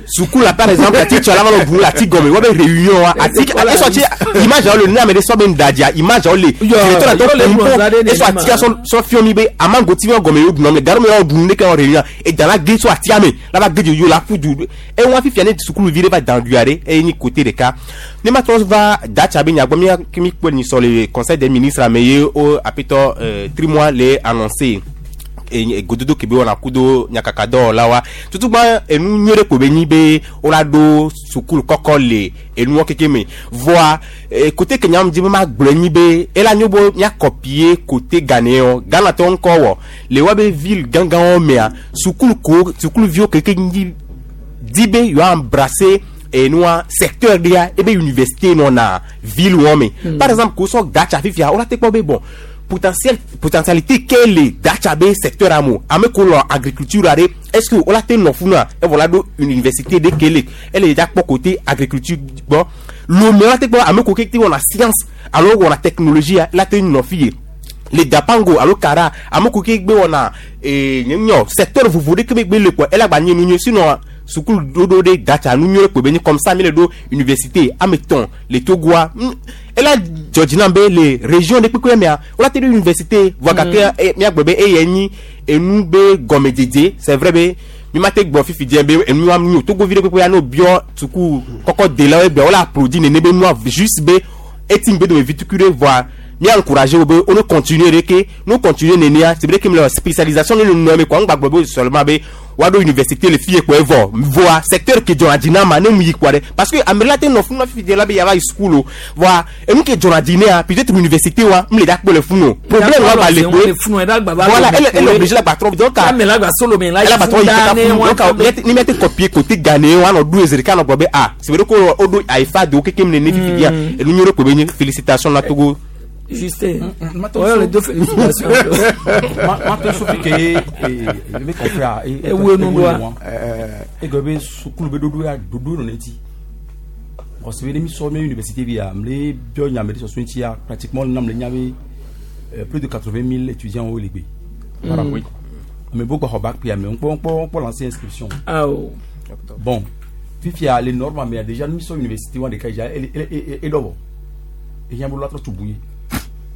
sukulu la par exemple ati tsɔ la va nɔ bu la ati gɔme wa be réunion wa ati esɔ tsi image awo le ne ame ɖe sɔ be ŋdadzia image awo le directeur la yɔ le tɔ gblɔ da ɖe ƒo esɔ nenema. atia sɔ sɔ fiɔ mi be amagoti mi gɔme yewo ɖunɔ me garo mi yɔ ɖu ne ke wɔ réunion eda la ge sɔ atia me la va ge dze yewo la ƒu du ewa fifia ne sukuluvi ɖe va dan dua ɖe eye nyi côté ɖeka ne ma trɔ va datsa be nyagbɔ mia ke mi kpɔ nyisɔ le conseil des ministres ame ye wo aƒetɔ trimois le annoncé Gododo ke be wɔna kudo nyakakadɔwɔlawoa tutugba enu nyuie ɖe ko be nyi be wola ɖo sukulu kɔkɔ le enuɔ keke me vɔa kote ke nyam dzi be magblɔe nyi be ela nyo be míakɔpie kote Ghanéen Ghanatɔwo ŋkɔ wɔ le woabe ville gãgãwo mea sukulu ko sukuluviwo keke nyi di be yewoa embrasser enua secteur ɖea ebe université nɔna ville wɔ me. Par exemple ko sɔ Datsa fifia wola te kpɔ be bon potentiel potentialité ke le Datsa be secteur amo ame ko lɔ agriculture aɖe est ce que wola te nɔ funua evɔ la ɖo université ɖe ke le ele dza kpɔ côté agriculture gbɔ Lomé wola te kpɔ ame ko ke te wɔna science alo wɔna technologie la te nɔ fi ye le Dapango alo Kara ame ko ke gbe wɔna ee nyɔ secteur vovo ɖe ke be gbe le kɔ ela gba nye nu nyuie sinon sukulu ɖoɖo ɖe Datsa nu nyuie kpo be nye comme ça mi le ɖo université ame tɔn le Togoa ela dzɔdzi nam be le région ɖe kpekpe mea wola te ɖo université vɔ gake miagblɔ be eye nyi enu be gɔmedzedze c'est vrai be mi ma te gblɔ fifi dze be enua nyo Togovi ɖe kpekpe ya no biɔ suku kɔkɔ delawo egbe wola applaudi nene be nua juste be eti ŋgbe dome vi tukui ɖe vɔa mi encourager wo be wo ne continuer ɖe ke no continuer nenea c'est vrai que mi le spécialisation ne le nɔ me quoi ŋgba gblɔ be seulement be woaɖo université le fie kpɔ evɔ vɔa secteur ke dzɔna dzi na ma ne mu yi kpɔ ɖe parce que ame la te nɔ funu fifi dze la be yava yi school o vɔa enu ke dzɔna dzi nea peut-être université wa m le da kpɔ le funu o problème wa ba le kpoe voilà elle est obligée la gba trɔ donc ame la gba solo me la elle gba trɔ yi kaka funu donc ni mi te copier côté ghanéen wa nɔ ɖo ezi ɖeka nɔ gblɔ be ah c'est vrai ko o ɖo ayifa do keke mu nene fifi dia enu nyuie ɖe kpo be nye félicitation na Togo. Justin, ouais, les deux félicitations. Ma te sofi ke e me confrère e wo nu doa. E go be sukulu be dodo ya dodo no nti. Parce que mi so me université bi ya mle bio nya me so so nti ya pratiquement nam le nya be plus de 80 000 étudiants au legbe. Voilà oui. Mais beaucoup ho bac puis mais on peut lancer inscription. Ah oh. Bon, fifia les normes mais déjà nous sommes université wa de ka ja e do. E nya bo la to tubuye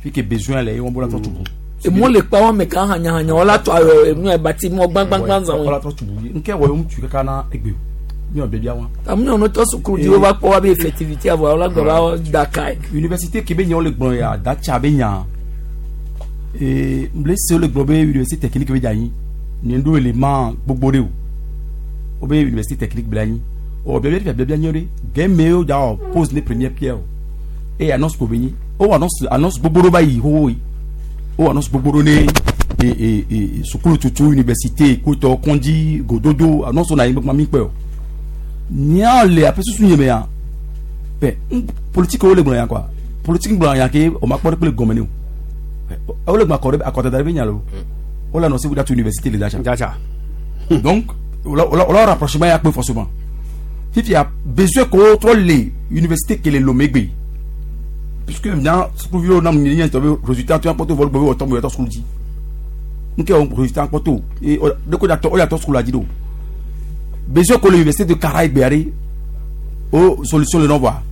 fi ke besoin le won bo la to tubu. Emo le pa won me kan hanya hanya wala to ayo enu e bati mo gbangban gbang zan. Wala to tubu nke wo mu tu kaka na egbe mi o bebia won. Amu no to sukuru di wo ba po wa be effectivité avo wala gba ba da kai. Université ke be nyan le gbon ya da cha be nyan. E mble se le gbon be université technique be jayin. Ni ndo élément gbogbo re o. O be université technique be layin. O bebia bebia bebia nyan re. Geme o da pose les premières pierres. Et annonce ko be yin. O annonce annonce gbogbo ba yi ho yi. O annonce gbogbo ne e sukulu tutu université ko to kondi gododo annonce na yin gbogbo mi pe o. Nya le ape susu yin me ya. Pe politique o le gbon ya quoi. Politique gbon ya ke o ma po pe le gomene o. O le gbon akore akota da be nya lo. O la annonce vous université le dacha. Dacha. Donc o la rapprochement ya pe forcément. Fifi a besoin ko trop les université ke le lomegbe. Puisque maintenant, ce que vous avez dit, résultat, tu as porté vol, vous avez autant dit. Nous avons résultat porté. Et de quoi on a tout ce dit. Besoin que l'université de Caraïbes, aux solutions le non-voix.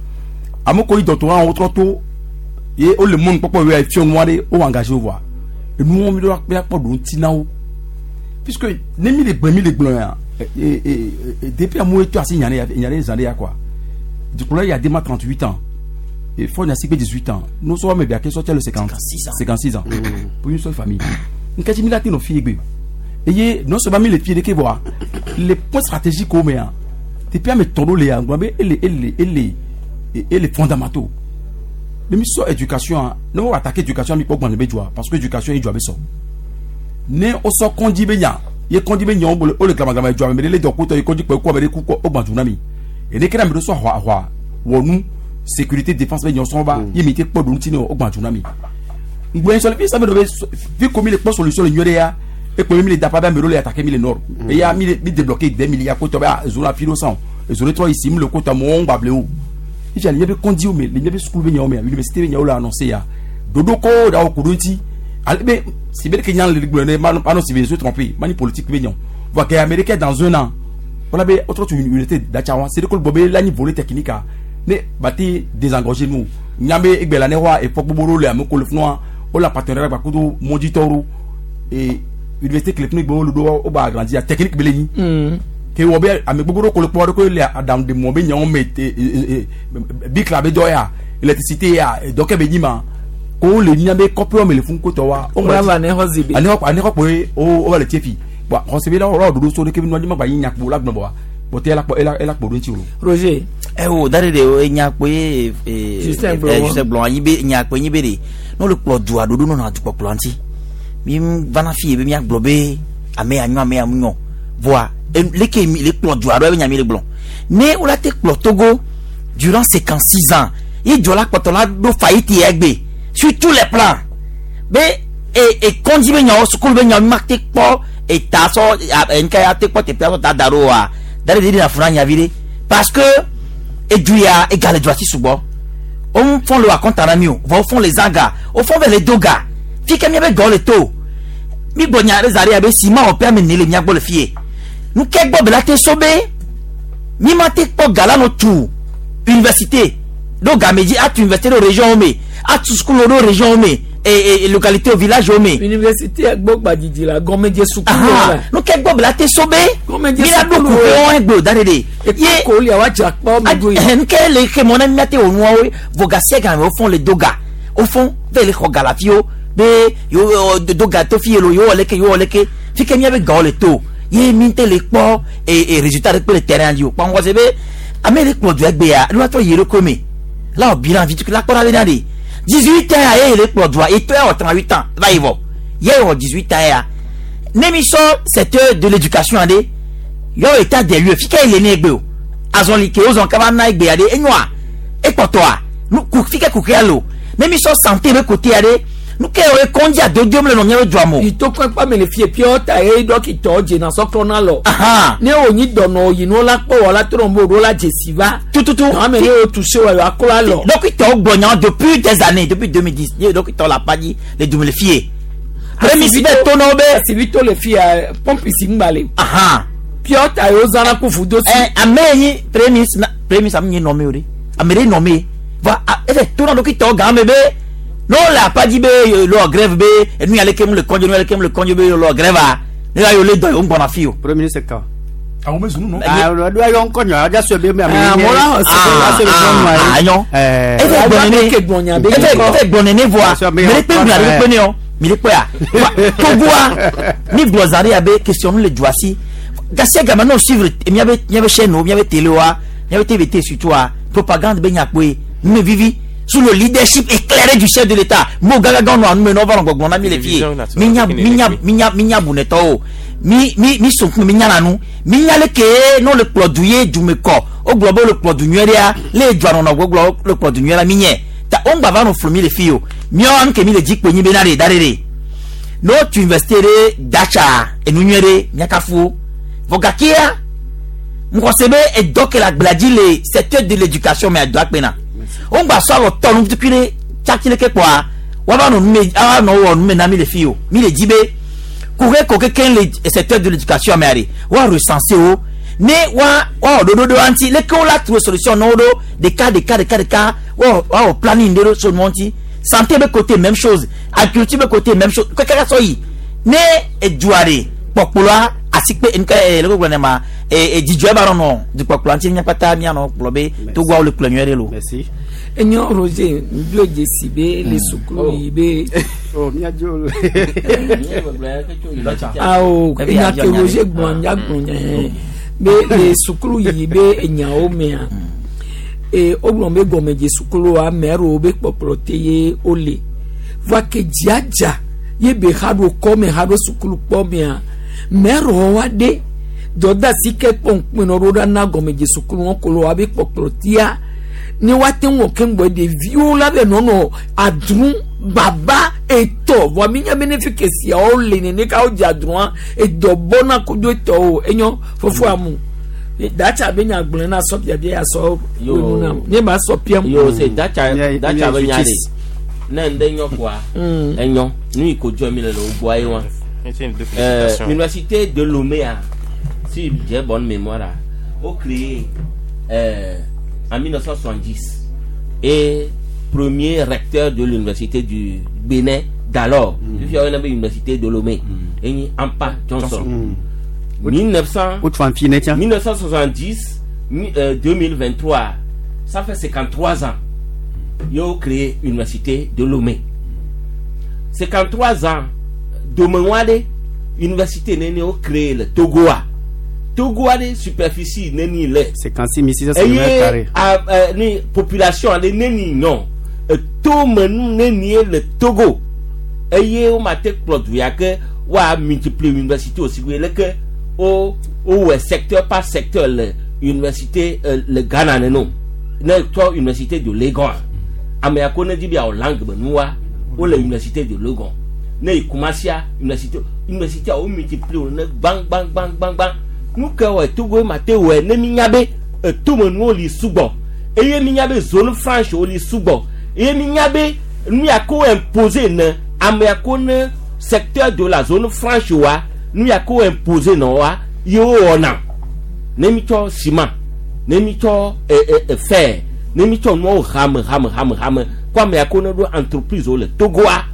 À mon collègue doctorat, on trop tôt, et le monde, pourquoi il y a noir, on engagé au voix. Et nous, on doit pas de tinao. Puisque, n'aimez les blancs, les blancs, et depuis à moi, tu as signé, il y a des années, quoi. Du coup, là, il y a des 38 ans. Et faut n'a 18 ans. Nous sommes bien que sortir le 56 ans. 56 ans. Pour une seule famille. Nous avons mis nos filles. Et non seulement les filles de voir les points stratégiques au meilleur. Depuis à mes tonneaux les et les fondamentaux. Les missions éducation, nous avons attaqué éducation mais pas parce que éducation il doit être né au sort kondi benya. Il kondi benya on le clama doit mais les docteurs il kondi quoi mais quoi au bandunami. Et les kram de so hwa hwa wonu sécurité défense mais yon ba il mité po dun tino o gban tsunami ngben so fi ça me fi comme les solution le nyore ya e ko mi le dapa ba me le attaquer mi le nord et ya mi débloquer des milliards ko to ba zone philo 100 zone 3 ici mi le kota mo on bable o il y a be kondi o me le be school be nyawo me université be nyawo la annoncer ya dodo ko da o kudunti ale be si be ke nyan le gbe ma non si be se tromper mani politique be nyan voit que américain dans un an voilà be autre unité d'achawa c'est que le bobé la ni volet technique ne bati désengorger nous nyambe egbela ne wa e fokboboro le amoko le fnwa o la partenariat ba kudo moditoru et université clé gbo lu do o ba agrandir technique beleni ke wo be ame gbogboro ko le po ko le adam de mo be nyan me bikla be doya électricité ya doke be nyima Ko le mia be kɔƒe me le fun kotɔ wa. O va ne xɔ zibe. Ani xɔ ani xɔ kpoe o o va le tie fi. Bɔn xɔse be la wɔ ɖoɖo so ɖeke bi nua dzi ma gba yi nyakpo la gblɔ bɔ wa. Bɔn te ela kpɔ ela ela kpo ɖo ŋuti o. Roger. Ewo da ɖe ɖe enya kpoe ee Justin gblɔ. Justin gblɔ anyi be nya kpoe nyi be ɖe ne wole kplɔ dua ɖoɖo nɔna dukpɔkplɔ ŋuti. Mi vana fi ye be miagblɔ be ame ya nyɔ ame ya mu nyɔ. Voa leke mi le kplɔ dua ɖo ebe nya mi le gblɔ. Ne wola te kplɔ Togo durant 56 ans ye dua la kpɔtɔ la ɖo faillite ya egbe sur tous les plans be e e kɔndzi be nyawo sukulu be nyawo mi ma te kpɔ eta sɔ a ŋka ya te kpɔ teƒea sɔ da da ɖo wa da ɖe ɖe ɖe na fu na nyavi ɖe parce que edu ya ega le dua si sugbɔ wo fɔn le wa kɔnta na mi o vɔ wo fɔn le zã ga wo fɔn vɛ le do ga fi ke miabe gawo le to mi gbɔ nya ɖe za ɖe abe sima wɔ ƒe ame ne le mia gbɔ le fie nu ke gbɔ be la te so be mi ma te kpɔ ga la no tu université ɖo game dzi atu université ɖo région wo me atu sukulu ɖo région wo me e e localité village wo me. Université gbɔ gbadzidzi la gɔmedze sukulu la. Nu ke gbɔ be la te so be mi la ɖo kuƒe wɔn egbe o da ɖe ɖe. Ye ko lia wa dza kpɔ mi do yi. Nu ke le xe mɔ na mi ate wò nuawo vɔ gasia game wo fɔn le do ga wo fɔn vɛ le xɔ ga le afi wo be yewo do ga to fi ye lo yewo wɔ leke yewo wɔ leke fi ke miabe gawo le to ye mi te le kpɔ e e résultat ɖe kpe le terrain dzi o kpɔ ŋgɔ se be ame ɖe kplɔ dua egbea nu atrɔ yi eɖokui me la wɔ bilan vi tukui la kpɔ ɖa bena ɖe 18 ans ya ye le kplɔ dua etɔ ya wɔ 38 ans va yi vɔ ye wɔ 18 ans ya ne mi sɔ secteur de l'éducation aɖe yɔ état des lieux fi ke le ne egbe o azɔli ke wozɔn kaba na egbea ɖe enyoa ekpɔtɔa nu ku fi ke kuxia le o ne mi sɔ santé be côté aɖe nu ke wo kɔndzi adodo le nɔ miabe dua me o. Ìtòkùn ẹ̀pá mi lè fi èpè ọ̀tà yẹ dókítà jìnnà sọ́kọ́ lọ. Ne o ní dọ̀nà òyìnbó la kpọ̀ wọ́n la tó lọ́nbó o la jèsì va. Tututu. Àmì ne o tù se wọ̀ yọ akọ́lá lọ. Dókítà gblɔ nya depuis des années depuis 2010 ye dókítà la pa dzi le dume le fie. Prémisi bɛ tó n'aw bɛ. Asibito le fi ya pɔmpi si ŋgba le. Piɔta yóò zana kó fudo si. Ɛ ame yi prémisi na prémisi ame nye nɔme o de ame ɖe nɔme va efe tó na dókítà gã me be n'o le apa dzi be lɔ grève be enu ya leke mu le kɔndze nu ya leke mu le kɔndze be lɔ grève a ne ya yɔ le dɔ yɔ ŋgbɔna fi o. Premier ministre kan. Àwọn bɛ sunu nɔ. Ah, do ayɔ ŋkɔ nyɔ aja sɔ be ame Ah, nye. mo la xɔ se be Ah, ase be ah, nyɔnua ye. Ah, nyɔ. Efe gbɔ nene efe gbɔ nene voa mi ɖe kpe ŋu ɖe kpe ne yɔ mi ɖe kpe ya Togoa mi gblɔ zã ɖe ya be question nu le dua si gasia game n'o suivre miabe miabe chaîne o miabe télé wa miabe TVT surtout wa propagande be nyakpoe nume vivi sous le leadership éclairé du chef de l'État mo gagaga nɔ anu me n'o va nɔ gbɔgbɔ na mi le fie mi nya mi nya mi nya mi nya bunetɔwo mi mi mi sonkun mi nya na nu mi nya le ke n'o le kplɔ du ye dume kɔ o gblɔ be o le kplɔ du nyuie ɖea le dua nɔnɔ gbɔgblɔ le kplɔ du nyuie la mi nyɛ ta o ŋgba va nɔ flu mi le fi o miawo nu ke mi le dzi kpe nyi be na ɖe da ɖe ɖe n'o tu université ɖe datsa enu nyuie ɖe miakafu wo vɔ gakea ŋgɔse be edɔ ke le agblea dzi le secteur de l'éducation me adɔ akpena o ŋgba sɔ alɔ tɔ nu tukui ɖe tsatsi leke kpɔa woava nɔ nume ava nɔ wɔ nume na mi le fi o mi le dzi be kuxe ko kekeŋ le secteur de l'éducation mea ɖe woa recenser wo ne woa woawɔ ɖoɖo ɖe woa ŋuti leke wo la trouver solution na wo ɖo ɖeka ɖeka ɖeka ɖeka woawɔ woawɔ planning ɖe ɖo so nua ŋuti santé be côté même chose agriculture be côté même chose keke sɔ yi ne edua ɖe kpɔkplɔa asikpe nke ee leke gblɔ ne ma ee dzidzɔe ba nɔnɔ dukpɔkplɔa ŋuti míakpata míanɔ gblɔ be Togoawo le kplɔ nyuie ɖe lo. Merci. Enyo Roger ŋdo dzesi be le sukulu yi be. Oh, miadzo. Awo enya ke Roger gblɔ nya gblɔ nya be le sukulu yi be enyawo mea ee wogblɔ be gɔmedze sukulu ame aɖewo be kpɔkplɔ te ye wole voa ke dziadza ye be xa ɖo kɔme xa ɖo sukulu kpɔ mea ame aɖewo wa ɖe dɔdeasi ke kpɔ ŋkpɛnɔ ɖo ɖa na gɔmedze sukulu wɔn kolo wa be kpɔkplɔ tia ne woate ŋu ke ŋgbɔ ɖeviwo la be nɔnɔ adru baba etɔ vɔa mi nya be ne fi ke siawo le nene ka wo dze adrua edɔ bɔna kodo etɔwo enyo fofo amu datsa be nya gblɔ na sɔ biabia ya sɔ wonu na ne ma sɔ piam. Yo se datsa datsa be nya de ne ŋde nyɔ koa enyɔ nu yi ko dzɔ mi le le wo gbɔa ye wa. Université de Lomé a si j'ai bonne mémoire là, o créé en 1970 et premier recteur de l'université du Bénin d'alors, mm. il y avait l'université de Lomé, et Ampa Johnson. 1900, 1970, 2023, ça fait 53 ans, ils ont créé l'université de Lomé. 53 ans domenua ɖe université neni wo créé le Togoa. Togoa ɖe superficie neni le. 56 600 mètres Eye carrés. a ɛ ni population aɖe neni nyɔ etomenu nenie le Togo eye wo ma te kplɔ du ya ke woa multiplier université o si gbe leke wo wowɔe secteur par secteur le université le Ghana nene o. Ne tsɔ université de Legon ame ya ko ne di be yeawɔ langue be nua wole université de Legon ne yi Kumasia université wo multiplier wo ne gbã gbã gbã gbã gbã nu ke wɔ Togo ma te wɔe ne mi nya be etomenuwo li sugbɔ eye mi nya be zone franche wo li sugbɔ eye mi nya be nu ya ko imposer ne ame ya ko ne secteur de la zone franche wa nu ya ko imposer na wa ye wo wɔna ne mi tsɔ ciment ne mi tsɔ ɛ ɛ ɛ fer ne mi tsɔ nuawo hame hame hame hame ko ame ya ko ne ɖo entreprise wo le Togoa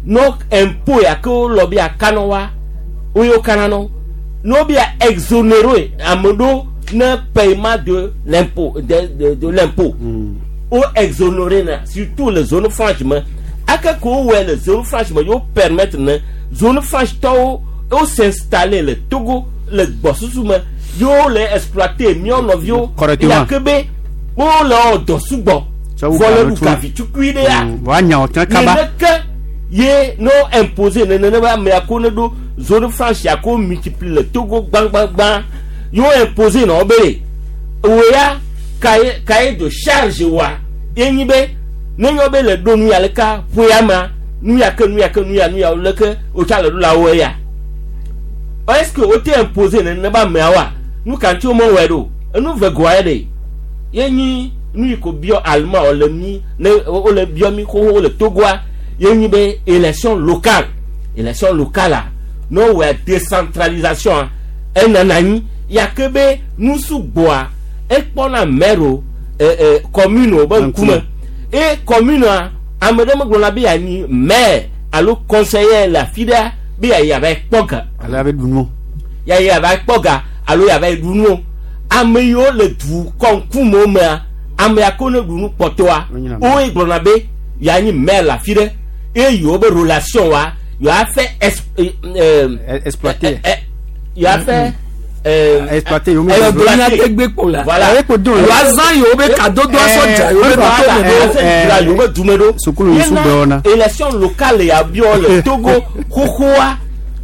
no impôt ya ke wo lɔ be akana wa wo ye wo kana nɔ no be exonéré ame ɖewo ne paiement de l'impôt de l'impôt wo exonéré na surtout le zone franche me ake ko wo wɔe le zone franche me yewo permettre ne zone franche tɔwo wo s'installer le Togo le gbɔsusu me yewo le exploiter míawo nɔviwo Correctement. ya ke be wo le wɔ dɔ sugbɔ Tsɔ wu vɔ le ga ɖu ɖo gavi tukui ɖe ya Woanya wò tẽ kaba. neneke ye no imposé nenene be amea ko ne ɖo zone franche ya ko multiplie le Togo gbãgbãgbã ye wo imposé na wo be wo ya cahier cahier de charge wa ye nyi be ne nyɔ be le ɖo nu ya leka ƒe ya ma nu ya ke nu ya ke nu ya nu ya leke wotsa le ɖo la wo ya est ce que wo te imposé nenene be amea wa nu ka ŋuti wo mewɔe ɖo enu ve goa ye ɖe ye nyi nu yi ko biɔ allemand wòle mi ne wole biɔ mi xoxo le Togoa ye nyi be élection locale élection locale a ne wowɔe décentralisation a enana anyi ya ke be nu sugbɔa ekpɔna maire o ɛ ɛ commune o be ŋkume e commune a ame ɖe megblɔna be yanyi maire alo conseiller le afi ɖea be yayi ava kpɔ ga Ale abe ɖu nu. yayi ava kpɔ ga alo yava ɖu nu o ame yiwo le du kɔnkumewo mea ame ya ko ne ɖu nu kpɔtɔa woe gblɔna be yanyi maire le afi ɖe eye yewo be relation wa yewoa fɛ ex exploiter yewoa fɛ exploiter yewo Exploiter. Gbekpo la. Voilà. Yewoazã yewo be kadodo asɔ dzra yewo be Voilà. dutome ɖo. Dzra yewo be dume ɖo. Sukulu yi Yena sugbɔ wɔna. élection locale ya biɔ le Togo xoxoa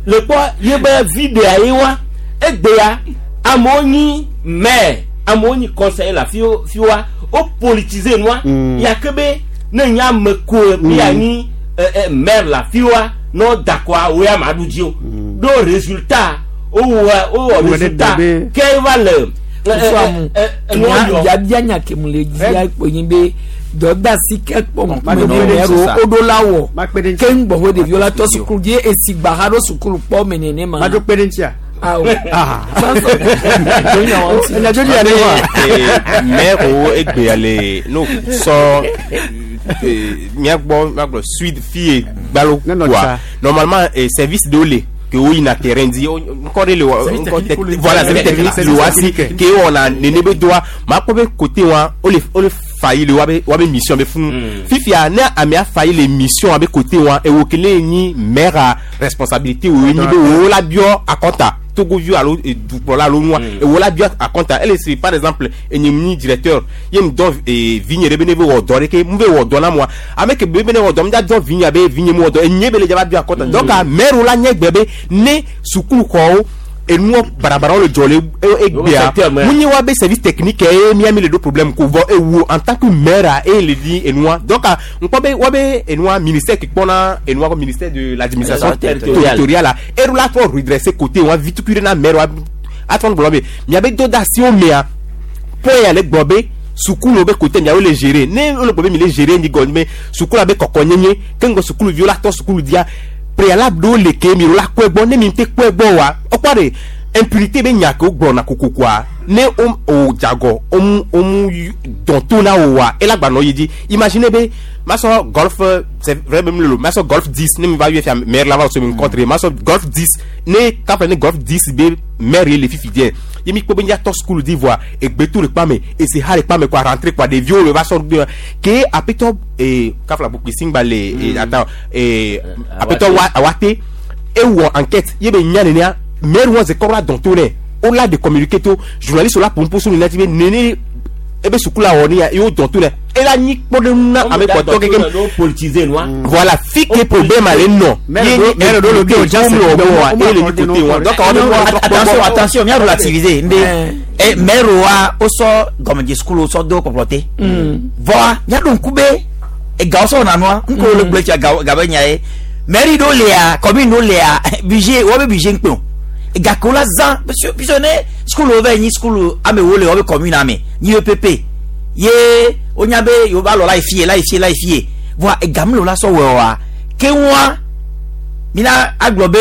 le kpɔ ye be videa ye wa egbea amewo nyi maire amewo nyi conseiller le afi fi wa wo politiser nua ya ke be ne nye ame ko bi anyi ɛ ɛ maire le afi wa ne wo da kɔa wo ya ma ɖu dzi o ɖo résultat wo wɔ wo wɔ Wo ɖe résultat be- ke va le ɛ ɛ ɛ ɛ nua yɔ. Biabia nya ke mu le dzia kpo nyi be dɔdasi ke kpɔ ŋkume Makpe ne ɖe maire ŋuti sa. wo ɖo la wɔ Makpe ɖe ŋuti. ke ŋgbɔ ɖeviwo la tɔ sukulu dzi esi gba ha ɖo sukulu kpɔ me nene ma. Maɖo kpe ɖe ŋutia. Awo. Ah. Maire wo egbea le no sɔ miagbɔ miagbɔ suite fie gbalo Nenɔ quoi tsa. normalement service ɖewo le ke wo yina terrain dzi ŋkɔ ɖe le wɔ Service ŋkɔ technique tec- wo le- voilà service technique le wa si technique. ke wɔna nene be doa makpɔ be côté wa wo le wo le failli le wabe wabe mission be funu fifia ne amea failli le mission abe côté wa ewo kele nyi maire a responsabilité wo nyi be wo la biɔ akɔnta togoviwo alo dukplɔla alo nua ewo la biɔ akɔnta ele si par exemple enye nyi directeur ye mi dɔn vinye ɖe be ne be wɔ dɔ ɖe ke mu be wɔ dɔ na mua ame ke be ne wɔ dɔ mi da dɔn vinye abe vinye mu wɔ dɔ enye be le dzaba biɔ akɔnta donc maire la nye gbe be ne sukuluxɔwo enuɔ barabarawo le dzɔ le egbea secteur me. mu nye wa be service technique ye mia mi le ɖo problème ko vɔ ewo en tant que maire a eye le di enua donc a ŋkpɔ be wa be enua ministère ke kpɔna enua ko ministère de l'administration Territoriale. territoriale a eɖo la trɔ redresser côté wa vitukui ɖe na maire wa atrɔ gblɔ be miabe dɔ da asiwo mea point ya le gblɔ be sukulu be côté miawo le gérer ne wole gblɔ be mi le gérer nyi gɔme be sukulu be kɔkɔ nyenye ke ŋgɔ sukuluviwo la tɔ sukulu dia préalable ɖewo le ke mi la kɔe gbɔ ne mi te kɔe gbɔ wa ɔkpɔ de impunité be nya ke wo gblɔna kokokoa ne o o dzagɔ o mu o mu dɔn to na o wa ela gbanɔ yi dzi imagine be masɔ golf c'est vrai be mi lolo masɔ golf 10 ne mi va yɔ fia maire la va so mi rencontre masɔ golf 10 ne kafɛ ne golf 10 be maire ye le fifi diɛ Ye mi kpɔ be miatɔ sukulu di voa egbetu le kpa me ese ha le kpa me kɔa rentrée kɔa ɖeviwo le va sɔ ɖo ke aƒetɔ ee kafla bukui singba le ee ata ee aƒetɔ wa awate ewɔ enquête ye be nya nenea maire wɔn ze kɔ la dɔn to nɛ o la de communiquer to journaliste la pompo so nena ti be nene ebe sukula wɔ ne ya ye o dɔn to nɛ ela nyi kpɔɖeŋu na ame kpɔtɔ keke politiser nua. Voilà fi ke problème ale nɔ ye nyi impliqué comme le wɔ wa eye le nyi côté wa donc awɔ be Attention, attention, mia relativiser. Nbe eh maire wa o sɔ gɔmedze sukulu o sɔ do kpɔkplɔ te. Vɔa mia ɖo ŋku be egawo sɔ wɔna nua ŋkɔ le gblẽ tsia gawo gabe nya ye. Mairie ɖewo lia, commune ɖewo lia, budget wobe budget ŋkpe o. Gake wola zã puisque puisque ne sukulu va yi nyi sukulu amewo le wobe commune ame nyi EPP ye wonya be yewo va lɔ la yi fie la yi fie la yi fie. Vɔa ega mele wola sɔ wɔe oa keŋua mina agblɔ be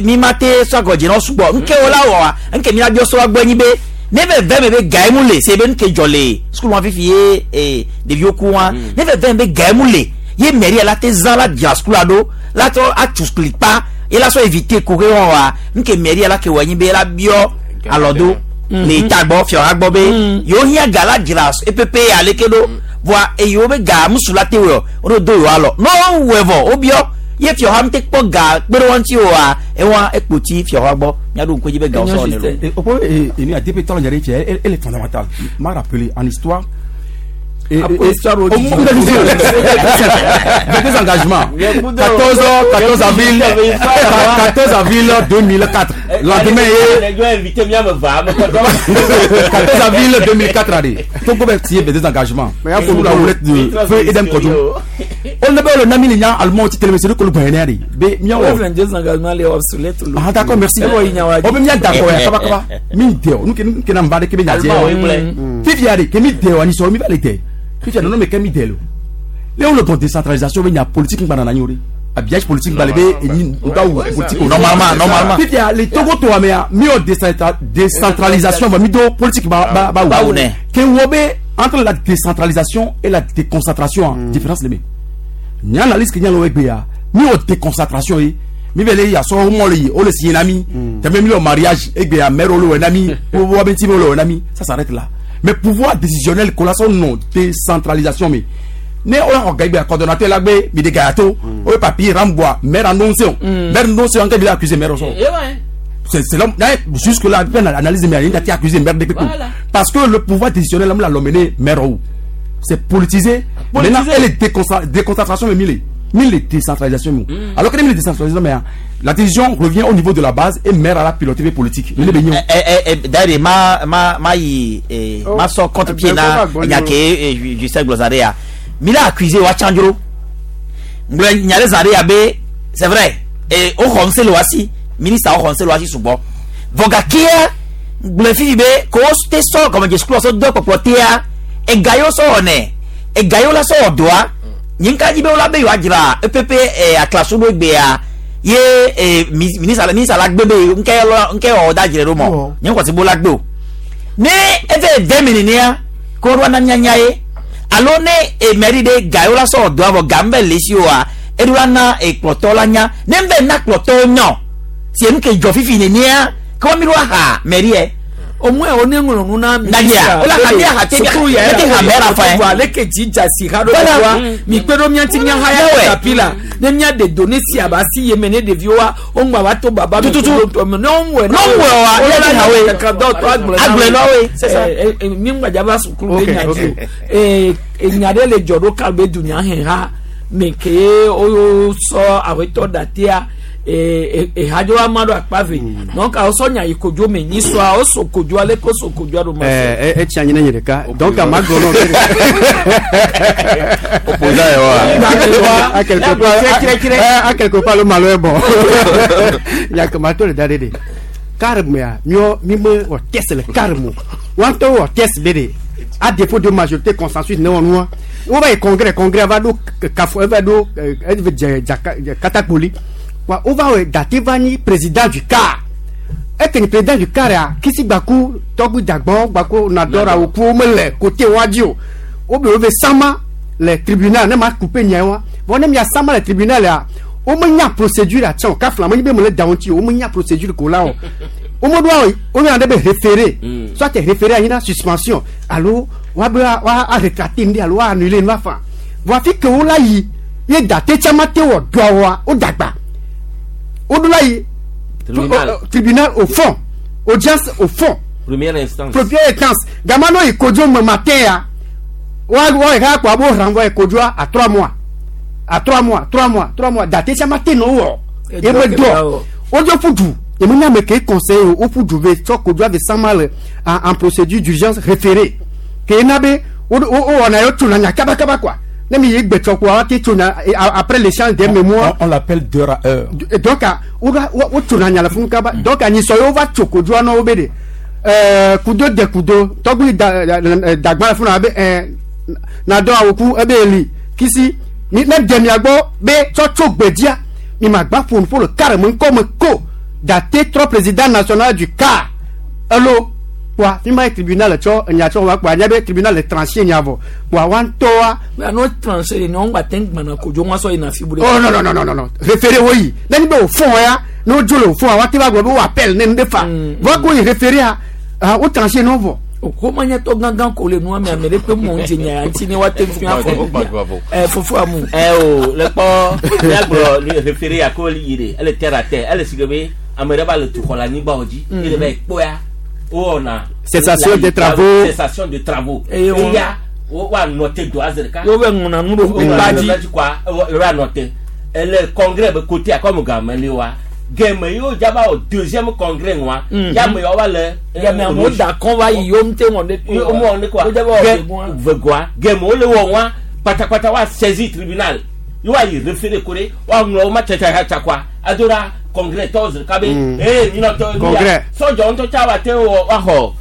mi ma te sɔ agɔdze na wo sugbɔ nke wo la wɔa nke mina biɔ sɔ gbɔ nyi be ne ve ve me be gae mu le se be nke dzɔ le sukulu wa fifi ye ee ɖeviwo ku wa ne ve ve me be gae mu le ye mairie la te zã la dzra sukulu ɖo la trɔ atu sukulu kpa ye la sɔ éviter kuxe wɔn wa nke mairie la ke wɔ nyi be la biɔ alɔ do le ta gbɔ fiɔ ha gbɔ be yewo hiã ga la dzra epepe aleke ɖo vɔa eyiwo be ga musu la te wɔ wo do yewo alɔ ne wowɔe vɔ wobiɔ ye fiɔ ha ŋute kpɔ ga kpe ɖe wo ŋuti oa ewa ekpoti fiɔ ha gbɔ miaɖo ŋku edzi be gawo sɔ ne lo. Et au point, et, et, ADP, tant elle, elle est fondamentale. M'a rappelé en histoire. Et, Après, histoire au au moins, des engagements. 14, 14 avril, 14 avril 2004. Lendemain, 14 avril 2004, allez. Togo bɛ signé des engagements. Sous la houlette de feu Edem Kodjo. On ne peut le nami les allemand ti télévision ko le gbɛnɛ de. Be miawo. O 22 engagements les obsolètes. Ah d'accord, merci. O be mia d'accord ya kaba kaba. Mi de o nu ke nu ke na mba de ke be nya je. Fifia de ke mi de o ani so mi ba le de. Fifia non me ke mi de lo. Le o le bon décentralisation be nya politique ngba na nyore. Habillage politique ngba le be eni nda ou politique. Normalement, normalement. Fifia le Togo to amea mi o décentralisation va mi do politique ba ba ba Ba ou ne. Ke wo be entre la décentralisation et la déconcentration différence le me. Nya analyse ke nya lo egbe ya mi o déconcentration ye mi bɛ le yasɔ mɔ le yi o le signé na mi tɛmɛ mi le mariage egbe ya maire o le wɔ na mi o wa bɛ ti o le wɔ na mi, ça s'arrête là. Mais pouvoir décisionnel kolasɔ non décentralisation mi ne o y'a xɔ gagbe coordonnateur la gbe mi de gaya to o ye papier ramboa maire annoncé o maire annoncé an kɛ bi la accuser maire sɔrɔ. C'est l'homme. Jusque là, analyse, mais il a été accusé maire de Voilà. Parce que le pouvoir décisionnel, là, l'a mené maire où. C'est politisé. Maintenant, elle est déconcentration, mais mille. Mille décentralisation. Alors que les décentralisation, mais la décision revient au niveau de la base et maire à la pilotée politique. Il est béni. D'ailleurs, ma ma ma yi ma sɔ contre-pied na nya ke Justin Glozare ya. Mi la accusé wa Tchandro. Ngblɔ nya ɖe zã ɖe ya be c'est vrai. Et o xɔ ŋusẽ le wa si ministre o xɔ ŋusẽ le wa si sugbɔ. Vɔ gakea gblɔ fifi be ko wo te sɔ gɔmedze sukulu sɔ do kpɔkplɔ tea ega yiwo sɔ wɔnɛ ega yiwo la sɔ wɔ dɔa nye ŋka dzi be wola be yewoadzra epepe aklasu ɖo egbea ye ministre ministre la gbe be ŋkɛ lɔ ŋkɛ wɔ da dzre ɖo mɔ nye ŋkɔsi bo la gbe o ne eve ve mi nenea ko ɖo ana mianya ye alo ne mairie ɖe ga yiwo la sɔ wɔ dɔa vɔ ga ŋbɛ le si oa eɖo la na kplɔtɔ la nya ne ŋbɛ na kplɔtɔwo nya o si enu ke dzɔ fifi nenea ke wo mi ɖo aha mairie. Au moins on est ŋlɔ nu na Nadia, o la ha mia ha te mia sukulu yɛ te ha mɛra fa ye. Ale ke dzi dza si ha ɖo Voilà. wa mi kpe ɖo mia ŋuti mia ha ya Yawɛ. tapi la ne mia de do ne si aba si ye me ne ɖeviwoa wo ŋgba va to baba mi Tututu. kudo ŋutɔ me ne wo ŋwɛ Ne wo ŋwɛ wa, wo ne la ti ha we. kaka dɔ tɔ agblɔ Agblɔe na woe, c'est ça. Mi ŋgba dza va sukulu Ok, be nya ok. dzi o enya ɖe le dzɔ ɖo ka be dunya hɛn ha me ke wo sɔ awetɔ datea ehadzo ama ɖo akpa ve donc awo sɔ nya yi kodzo me nyi sɔa wo so kodzo ale ko so kodzoa ɖo ma sɔ. Etsi anyi ne nye ɖeka donc ama gblɔ nɔ Opposant ye wa. à quelque part à quelque part le malo est bon nyakema to le da ɖe ɖe carme miɔ mi me wɔ test le carme wa ŋutɔ wɔ test be ɖe à défaut de majorité consensus ne wɔ nua wo va yi congrès congrès va ɖo kafo eva ɖo eve dze dzaka katakpoli wa wo va wɔ date va nyi président du car eke ni président du car ya kisi gbaku tɔgbi dagbɔn gbaku nadɔra wo ku wo mele côté wa dzi o wo be wo be sama le tribunal ne ma coupe nya wa vɔ ne mia sama le tribunal ya wo me nya procédure atsɛ o kafla me nyi be me le da wo ŋuti o wo me nya procédure ko la o. Womeɖo awɔ woyɔna ɖe be référé. Soit référé anyi na suspension alo woabe wa a rétracter nu ɖe alo wa annuler nu afa. Vɔ afi ke wo la yi ye date tsã ma te wɔ dɔa wɔa wo dagba. Woɖo la yi Tribunal. Tribunal au fond, audience au fond. Première instance. Première instance. Gama no yi kodzo me matin ya. Wa wa yi kaka kpɔ abo renvoi kodzoa à 3 mois. À 3 mois, 3 mois, 3 mois. Date tsã ma te nɔ wɔ. Edo Ye me ke dɔ. ba wɔ. Wodzo ƒu du. Ye me nya ame ke conseil o woƒu du ve tsɔ kodzoa ve sama le en procédure d'urgence référée. Ke na be wo wo wɔna yɔ tsona nya kaba kaba quoi. Ne mi yi gbetsɔ koa woate tsona après l'échange des mémoires. On l'appelle d'heure à heure. Et donc wo wo tsona nya le funu kaba. Donc anyisɔ ye wova tso kodzoa na wo be de kudo de kudo tɔgbi da dagba le funu abe na dɔ awoku ebe eli kisi mi ne de mia gbɔ be tsɔ tso gbedzia mi ma gba ƒo nuƒo le kare me ŋkɔ me ko date trɔ président national du CAR elo kpoa fi ma ye tribunal le tsɔ enya tsɔ wa kpoa anya be tribunal le tranché nya vɔ kpoa wa ŋutɔa. Mais ano tranché de ne gba te gbana kodzo ŋua sɔ yina fi bu ɖe. Oh non non non non non non, référé wo yi ne ni be o fond ya ne wo dzo le o fond wa te va gblɔ be wo appel ne nu ɖe fa vɔ ko yi référé ya ah wo tranché ne wo vɔ. Xɔmanyatɔ gãgã ko le nua me ame ɖe ƒe mɔ ŋdze nya ya ŋuti ne woate ŋu afɔ ɛ fofo amu. Ɛ o le kpɔ míagblɔ le référé ya ko yi de ele terre à terre ele si ke be ame ɖe va le tu xɔ le anyigba wo dzi Mhm. ele va yi kpɔa wowɔna. Cessation des travaux. Cessation de travaux. Eye wo- Eya wo woanɔ te do aze ɖeka. Wo be ŋlɔna nu ɖo Wo kpa ŋlɔna dzi. nu ɖo kpa wo anɔ te ele congrès be côté a comme game le wa game yi wo dzaba wɔ deuxième congrès ŋua Mhm. ya me yawo va le. Game amewo da kɔn va yi yewo ŋute wɔn ɖe. Wo mu wɔn ɖe kɔa Wo dzaba wɔ Ge- vegoa. vegoa game wo le wɔ ŋua kpatakpata wa saisir tribunal yi wa yi référé ko ɖe wa ŋlɔ wo ma tsatsatsatsa kɔa ado ɖa congrès tɔwo zi ɖeka be Mm. ee minɔtɔ Congrès. sɔdzɔ ŋutɔ tsa wa te wɔ wa xɔ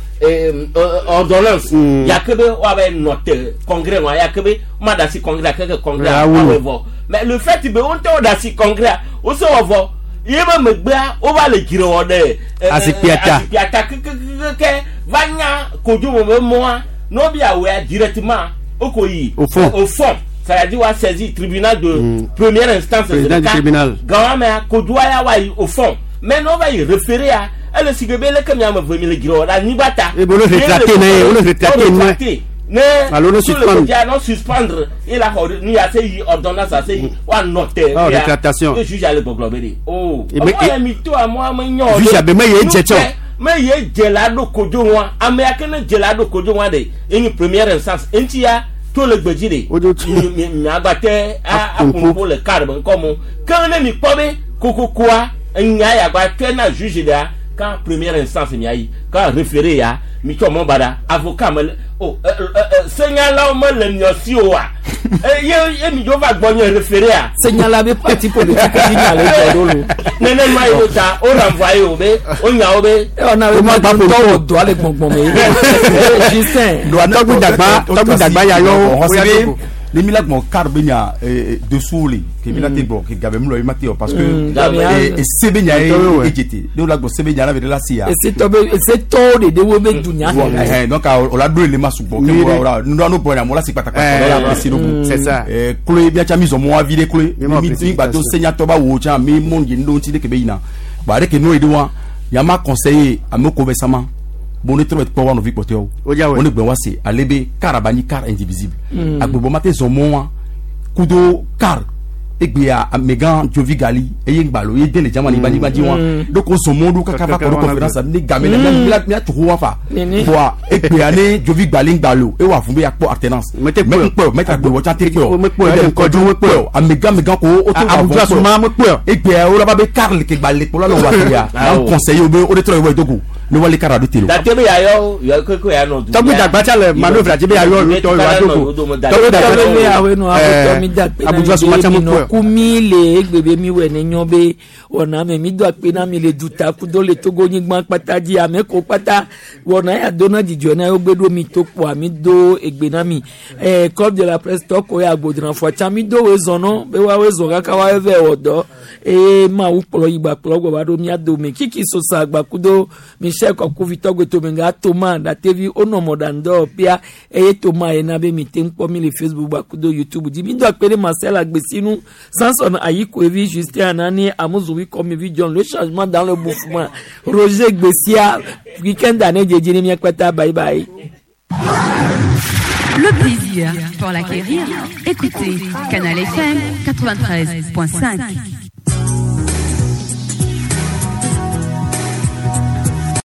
ordonnance yake be wa bɛ nɔ te congrès ŋua yake be ma da si congrès keke congrès Ya wa wolo. wɔ vɔ mais le fait be wo ŋutɔ da si congrès wo se wɔ vɔ ye be megbea wo va le dzre wɔ ɖe Azikpia ta. azikpia ta kekekeke va nya kodzo me be mɔa ne wo bia wɔa directement wo ko yi Au fond. Au fond, c'est-à-dire wa saisir tribunal de première instance. Président du tribunal. Gawame kodzo ya wa yi au fond, mais ne wo va yi référé ya ele si ke be leke miame ve mi le dzre wɔ ɖe anyigba ta. Eh, bon, le rétracté, ne, wo le rétracté, ne. rétracté ne. Alo ne sur le suspendre. côté, non suspendre il a xɔ nu ya se yi ordonnance ase yi wa nɔ te. Ah, rétractation. Le juge ale gbɔgblɔ be de o. Eh, mais- Ɔmɔ yɛ mi to amɔ ame nyɔ. Juge abe me ye dze tsɔ. Me ye dze la ɖo kodzo ŋua ame ya ke ne dze la ɖo kodzo ŋua de enyi première instance eŋuti ya to le gbedzi de. Mi mi miagba te aƒonuƒo le kar be ŋkɔ mo ke ne mi kpɔ be kokokoa enya ya gba tɔe na juge ɖea kan première instance mia yi kan référé ya mi tsɔ mɔ ba ɖa avocat me le o ɛ ɛ ɛ senyalawo mele miɔ si o wa ye ye mi dzo va gbɔ nye référé ya. Senyala be parti politique dzi nya le dzɔ ɖo lo. Nene ma yi wo ta o renvoyé wo be o nya wo be. Ewɔ na be ma ŋutɔ wɔ dɔa le gbɔngbɔn me. Justin. Tɔgbi dagba tɔgbi dagba ya yɔ wo ya dogo. Ne mi la gbɔn car bɛ nya dessous le ke mi la te bɔ ke gabe mi lɔ i ma te o parce que Mm, gabe ya- se bɛ nya ye Tɔgbi wɛ. e jete ne la gbɔn se bɛ nya la bɛ de la se ya. Esetɔ be esetɔwo ɖeɖe wo be dunya Ɛhɛn, donc o la do ele ma sugbɔ ke Nyuie o la nu nu bɔ nya mo la si kpatakpata o la apprécier do Mm. C'est ça. Kloe miatsa mi zɔ mɔ avi ɖe kloe Mi ma mi mi gba do précipitation. senyatɔ ba wo tsã mi mɔ yi ŋdɔ ŋuti ɖe ke be yina ba ɖe ke nu yi ɖe wa yama conseiller ame ko bɛ sama bon ne trɔ bɛ kpɔ wa nɔvi kpɔtɔɛwo O diya wɛ. o ne gbɛ wa se ale be car aba nyi car indivisible Mm. agbebɔ ma te zɔ mɔ wa kudo car egbea amegã dzovi gali eye ŋgbalo ye den le dzama nyigba nyigba dzi wa Mm. donc o zɔ mɔ ɖo kaka va kɔ ɖo conférence ne game la mia mia tso wa fa Nene. voa egbea ne dzovi gbali ŋgbalo ewɔ avu be yakpɔ alternance Mete kpɔe o. mɛ kpɔe o mɛta gbewɔ tsã te kpɔe o Mekpɔe o, Ede Kɔdzo mekpɔe o amegã amegã ko o to A- Abuja suma mekpɔe o. egbea wo la ba be car le ke gba le kplɔ la le wa ya Ah, na o. conseiller wo be o de trɔ yi wɔ edogo ne wale car aɖo te lo. Date be yayɔ yɔ keke ya nɔ du. Tɔgbi dagba tsa le manœuvre dzi be yayɔ olu tɔ yɔ adogo. Tɔgbi dagba Tɔgbi be awe no Eh, awetɔ mi da kpe na Abuja mi suma be tsa mi mekpɔe nɔ o. ku mi le egbe be mi wɔ ne nyɔ be wɔna me mi do akpe na mi le duta kudo le Togo nyigba kpata dzi ame ko kpata wɔna ya do na dzidzɔ na yewo gbe ɖo mi to kpoa mi do egbe na mi club de la presse tɔ ko ya agbodranfɔ tsa mi do woe zɔnɔ be woawoe zɔ kaka woawoe vɛ wɔ dɔ eye mawu kplɔ yi gba kplɔ gbɔ va ɖo mia dome kiki sosa gba kudo michel kɔkuvi tɔgbe tome nga toma datevi wonɔ mɔɖaŋdɔ pia eye toma yina be mi te ŋu kpɔ mi le Facebook gba kudo YouTube dzi mi do akpe ɖe Marcel Agbesinu. Samson Ayikoevi, Justin Anani, Amouzoui Komivi John, le changement dans le mouvement. Roger Gbessia, week-end d'année dédié, Miakwata, bye bye. Le plaisir, pour l'acquérir, écoutez Canal FM 93.5.